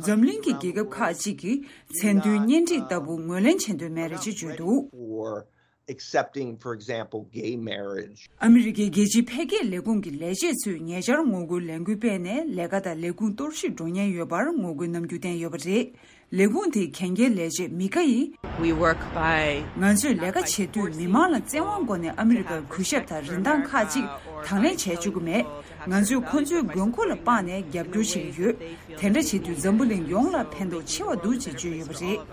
འཛམ་གླིང་གི་རྒྱལ་ཁབ་ཁག་ཅིག་གིས་མཚན་མཐུན་གཉེན་སྒྲིག་ལྟ་བུ་ངོས་ལེན་བྱེད་འདོད་མེད་རེད་ཅེས་བརྗོད་འདུག Accepting, for example, gay marriage. ཨ་མི་རི་ཀའི་རྒྱལ་སྤྱིའི་འཕེལ་རྒྱས་ལས་ཁུངས་ཀྱི་ལས་བྱེད་ཚོས་ཉེ་ཆར་ངོ་རྒོལ་ལས་འགུལ་སྤེལ་ནས། ལས་ཀ་དང་ལས་ཁུངས་གཏོར་བཤིག་འགྲོ་ཉེན་ཡོད་པར་ངོ་རྒོལ་གནང་རྒྱུ་བསྟན་ཡོད་པ་རེད། ལས་ཁུངས་དེའི་གན་རྒྱའི་ལས་བྱེད་མི་ཁ་ཡིས། We work by ང་ཚོས་ལས་ཀ་བྱེད་དུས། མི་མང་ལ་བཙན་དབང་སྒོ་ནས་ཨ་མི་རི་ཀར་གུས་ཞབས་དང་རིན་ཐང་ཁག་ཅིག་དང་ལེན་བྱས་བཅུག་གི་མེད། ང་ཚོས་ཁོ་ཚོའི་དགོས་མཁོ་ལ་དཔག་ནས་རྒྱབ་སྐྱོར་བྱེད་ཀྱི་ཡོད། དེ་འདྲ་བྱེད་དུས་འཛམ་བུ་གླིང་ཡོངས་ལ་ཕན་ཐོགས་ཆེ་བ་འདུག་ཅེས་བརྗོད་ཡོད་པ་རེད།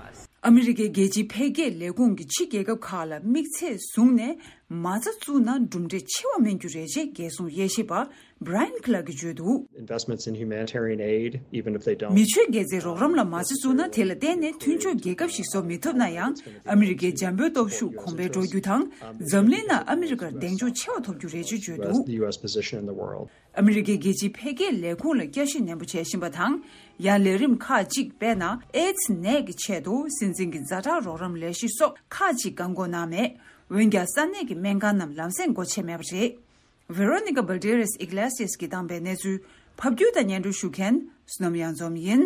ཨ་མི་རི་ཀའི་རྒྱལ་སྤྱིའི་འཕེལ་རྒྱས་ལས་ཁུངས་ཀྱིས་ཕྱི་རྒྱལ་ཁབ་ཁག་ལ་དམིགས་ཚད་བཟུང་ནས་མ་རྩ་བཙུགས་ན་གྲུབ་འབྲས་ཆེ་བ་སྨིན་རྒྱུ་རེད་ཅེས་རྒྱལ་སྲུང་དབྱེ་ཞིབ་པ་Brian Clark གིས་བརྗོད་འདུག Investments in humanitarian aid, even if they don't མི་ཆོས་དགེ་རྩའི་རོགས་རམ་ལ་མ་རྩ་བཙུགས་ན། དེ་ལ་བརྟེན་ནས་མཐུན་ཕྱོགས་རྒྱལ་ཁབ་ཞིག་བཟོ་མི་ཐུབ་ན་ཡང་། ཨ་མི་རི་ཀའི་འཇམ་པོའི་སྟོབས་ཤུགས་གོང་འཕེལ་འགྲོ་རྒྱུ་དང་། འཛམ་གླིང་ནང་ཨ་མི་རི་ཀར་གདེང་འཇོག་ཆེ་བ་ཐོབ་རྒྱུ་རེད་ཅེས་བརྗོད་འདུག The U S position in the world. ཨ་མི་རི་ཀའི་རྒྱལ་སྤྱིའི་འཕེལ་རྒྱས་ལས་ཁུངས་ལ་བསྐྱར་ཞིབ་ནན་པོ་བྱེད་བཞིན་པ་དང་། ཡང་ལས་རིམ་ཁག་ཅིག་དཔེར་ན། ཨེ་ཙི་ནད་ཀྱི་ཆེད་དུ་སྲིད་འཛིན་གྱི་ཛ་དྲག་རོགས་རམ་ལས་གཞི་སོགས་ཁག་ཅིག་བཀག་འགོག་གནང་མེད། འོན་ཀྱང་ས་གནས་ཀྱི་སྨན་ཁང་རྣམས་ལམ་སེང་སྒོ་ཕྱེ་མེད་པ་རེད། Veronica Balderas Iglesias གིས་བཏང་པའི་གནས་ཚུལ་ཕབ་སྒྱུར་དང་སྙན་སྒྲོན་ཞུ་མཁན་བསོད་ནམས་གཡང་འཛོམས་ཡིན།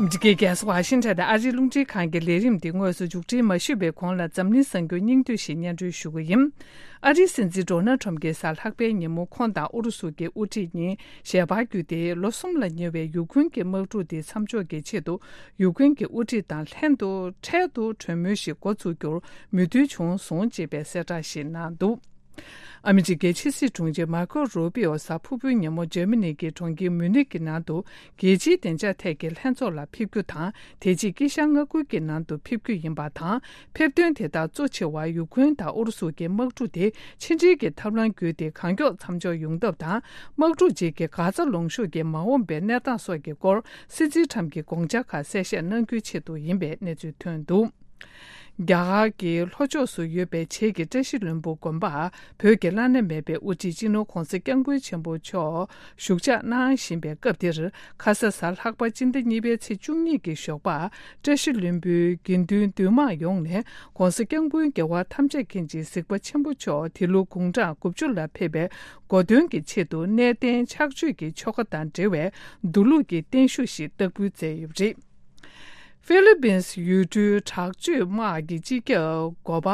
འདི་གའི་རྒྱལ་ས་ཝ་ཤིང་ཊོན་དུ་ཨ་རིའི་རླུང་འཕྲིན་ཁང་གི་ལས་རིམ་འདི་དངོས་སུ་མཇུག་སྒྲིལ་མ་ཞུས་པའི་གོང་ལ། འཛམ་གླིང་གསར་འགྱུར་སྙིང་བསྡུས་ཤིག་སྙན་སྒྲོན་ཞུ་གི་ཡིན། ཨ་རིའི་སྲིད་འཛིན་ཌོ་ནལ་ཁྲམ་གྱིས་གཟའ་ལྷག་པའི་ཉིན་མོ་ཁོང་དང་ཨུ་རུ་སུ་གྱི་དབུ་ཁྲིད་གཉིས་ཞལ་པར་བརྒྱུད་དེ། ལོ་གསུམ་ལ་ཉེ་བའི་ཡུཀ་རེན་གྱི་དམག་འཁྲུག་དེ་མཚམས་འཇོག་གི་ཆེད་དུ། ཡུཀ་རེན་གྱི་དབུ་ཁྲིད་དང་ལྷན་དུ་འཕྲལ་དུ་གྲོས་མོལ་ཞིག་འགོ་འཛུགས་རྒྱུར་མོས་མཐུན་བྱུང་སོང་ཅེས་པའི་གསལ་བསྒྲགས་ཤིག་གནང་འདུག་ཨ་མི་རི་ཀའི་ཕྱི་སྲིད་དྲུང་ཆེ་མར་ཀོ་རུ་པི་ཨོ་གཟའ་ཕུར་བུའི་ཉིན་མོ་འཇར་མ་ནི་གི་གྲོང་ཁྱེར་མུ་ནིག་གི་ནང་དུ་རྒྱལ་སྤྱིའི་བདེ་འཇགས་ཐད་ཀྱི་ལྷན་ཚོགས་ལ་ཕེབས་རྒྱུ་དང་། དེ་རྗེས་དཀྱིལ་ཤར་མངའ་ཁུལ་གྱི་ནང་དུ་ཕེབས་རྒྱུ་ཡིན་པ་དང་། ཕེབས་ཐོན་དེ་དག་གཙོ་ཆེ་བ་ཡུཀ་རེན་དང་ཨུ་རུ་སུ་གྱི་དམག་འཁྲུག་དེ་ཕྱི་འབྲེལ་གྱི་ཐབས་ལམ་བརྒྱུད་དེ་གང་མགྱོགས་མཚམས་འཇོག་ཡོང་ཐབས་དང་། དམག་འཁྲུག་རྗེས་ཀྱི་གྷ་ཛ་ལུང་གཤོང་གི་མ་འོངས་པའི་གནས་སྟངས་སོགས་ཀྱི་སྐོར་སྲིད་འཛིན་ཁྲམ་གྱི་དགོངས་འཆར་ཁག་གསལ་བཤད་གནང་རྒྱུའི་ཆེད་དུ་ཡིན་པའི་གནས་ཚུལ་ཐོན་འདུག་རྒྱ་གར་གྱི་ལྷོ་ཕྱོགས་སུ་ཡོད་པའི་བྱེས་ཀྱི་བཀྲ་ཤིས་ལྷུན་པོ་དགོན་པར་བོད་ཀྱི་བླ་ན་མེད་པའི་དབུ་ཁྲིད་སྤྱི་ནོར་༧གོང་ས་༧སྐྱབས་མགོན་ཆེན་པོ་མཆོག་བཞུགས་ཕྱག་གནང་བཞིན་པའི་སྐབས་འདིར། ཁ་ས་གཟའ་ལྷག་པ་སྤྱི་ཟླ་གཉིས་པའི་ཚེས་བཅུ་གཉིས་ཀྱི་ཞོགས་པར། བཀྲ་ཤིས་ལྷུན་པོའི་དགེ་འདུན་འདུས་མང་ཡོངས་ནས་༧གོང་ས་༧སྐྱབས་མགོན་རྒྱལ་བ་ཐམས་ཅད་མཁྱེན་ཅིང་གཟིགས་པ་ཆེན་པོ་མཆོག་འདི་ལོ་དགུང་གྲངས་དགུ་བཅུ་ལ་ཕེབས་པའི་གོ་སྟོན་གྱི་ཆེད་དུ། གནས་བརྟན་ཕྱག་མཆོད་ཀྱི་ཆོ་ག་དང་འབྲེལ་བའི་མདོ་ལུགས་ཀྱི་བརྟན་བཞུགས་ཤིག་བསྟར་འབུལ་མཛད་ཡོད་པ་རེད། ཧྥི་ལི་པིན་ཡུལ་གྲུའི་དྲག་སྤྱོད་དམག་གི་སྤྱི་ཁྱབ་འགོ་པ་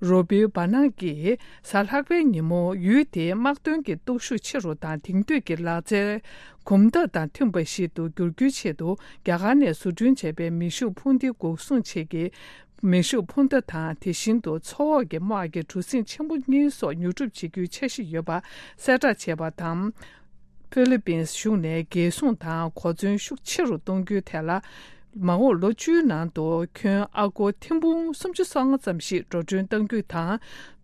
རོ་བྷི་བྷ་ནག་གིས་གཟའ་ལྷག་པའི་ཉིན་མོ་ཡུལ་དེའི་དམག་དོན་གྱི་སྟོབས་ཤུགས་ཆེ་རུ་དང་། དེང་དུས་ཀྱི་ལག་རྩལ་གོམ་སྟབས་དང་མཐུན་པ་ཞིག་ཏུ་བསྒྱུར་རྒྱུའི་ཆེད་དུ། རྒྱ་གར་ནས་བཟོ་སྐྲུན་བྱས་པའི་མེ་ཤུགས་འཕུར་མདེལ་འགོག་སྲུང་ཆེད་ཀྱི་མེ་ཤུགས་འཕུར་མདའ་དང་། དེ་བཞིན་དུ་མཚོ་འོག་གི་དམག་གི་གྲུ་གཟིངས་ཆེན་པོ་གཉིས་སོགས་ཉོ་སྒྲུབ་བྱེད་རྒྱུའི་འཆར་གཞི་ཡོད་པ་གསལ་བསྒྲགས་བྱས་པ་དང་། ཧྥི་ལི་པིན་གཞུང་ནས་རྒྱལ་སྲུང་དང་གོ་མཚོན་ཤུགས་ཆེ་རུ་གཏོང་རྒྱུའི་ཐད་ལ། མ་འོངས་ལོ་བཅུའི་ནང་དུ་ཁྱོན་ཨ་སྒོར་ཐེར་འབུམ་སུམ་ཅུ་སོ་ལྔ་ཙམ་ཞིག་འགྲོ་གྲོན་གཏང་རྒྱུ་དང་།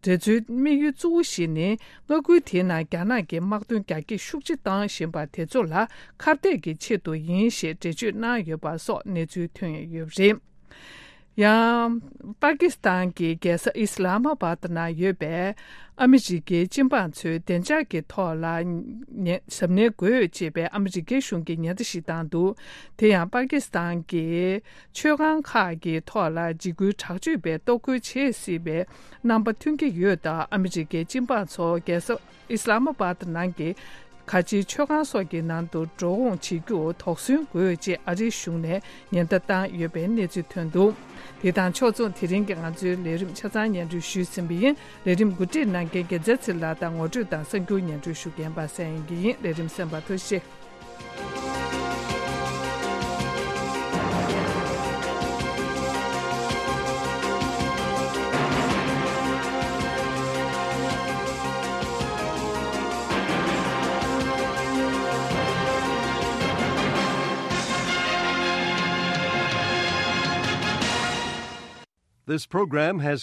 དེ་ཚོའི་དམིགས་ཡུལ་གཙོ་བོ་ཞིག་ནི། མངའ་ཁུལ་དེའི་ནང་རྒྱ་ནག་གིས་དམག་དོན་རྒྱ་སྐྱེད་ཤུགས་ཆེ་བཏང་བཞིན་པ་དེ་ཚོ་ལ་ཁ་གཏད་ཀྱི་ཆེད་དུ་ཡིན་ཞེས་འགྲེལ་བརྗོད་གནང་ཡོད་པ་སོགས་གནས་ཚུལ་ཐོན་ཡོད་པ་རེད། ཡང་། པ་ཀི་སི་ཐན་གྱི་རྒྱལ་ས་ཨི་སི་ལ་མ་བྷ་ཏི་ནང་ཡོད་པའི་ཨ་མི་རི་ཀའི་སྤྱི་འབངས་ཚོའི་བདེ་འཇགས་ཀྱི་ཐོག་ལ་ཉེ་གཟབ་ནན་དགོས་ཅེས་པའི་ཨ་མི་རི་ཀའི་གཞུང་གི་ཉེན་བརྡ་ཞིག་བཏང་འདུག་དེ་ཡང་པ་ཀི་སི་ཐན་གྱི་མཆོད་ཁང་ཁག་གི་ཐོག་ལ་འཇིགས་སྐུལ་དྲག་སྤྱོད་པས་གཏོར་རྒོལ་བྱེད་སྲིད་པའི་རྣམ་པ་ཐོན་གྱི་ཡོད་སྟབས། ཨ་མི་རི་ཀའི་སྤྱི་འབངས་ཚོ་རྒྱལ་ས་ཨི་སི་ལ་མ་བྷ་ཏི་ནང་གི་ག་ཅིའི་མཆོད་ཁང་སོགས་ཀྱི་ནང་དུ་འགྲོ་འོང་བྱེད་རྒྱུར་དོགས་ཟོན་དགོས་ཅེས་ཨ་རིའི་གཞུང་ནས་ཉེན་བརྡ་བཏང་ཡོད་པའི་གནས་ཚུལ་ཐོན་འདུག་དེ་དང་ཕྱོགས་མཚུངས། དེ་རིང་གི་ང་ཚོའི་ལས་རིམ་ཆ་ཚང་སྙན་སྒྲོན་ཞུས་ཟིན་པ་ཡིན། ལས་རིམ་གོ་སྒྲིག་གནང་མཁན་རྒྱལ་མཚན་ཚེ་ལགས་དང་། ངོ་སྤྲོད་དང་གསར་འགྱུར་སྙན་སྒྲོན་ཞུ་མཁན་པ་སངས་དབྱངས་སྐྱིད་ཡིན། ལས་རིམ་གསན་པར་ཐུགས་རྗེ་ཆེ། This program has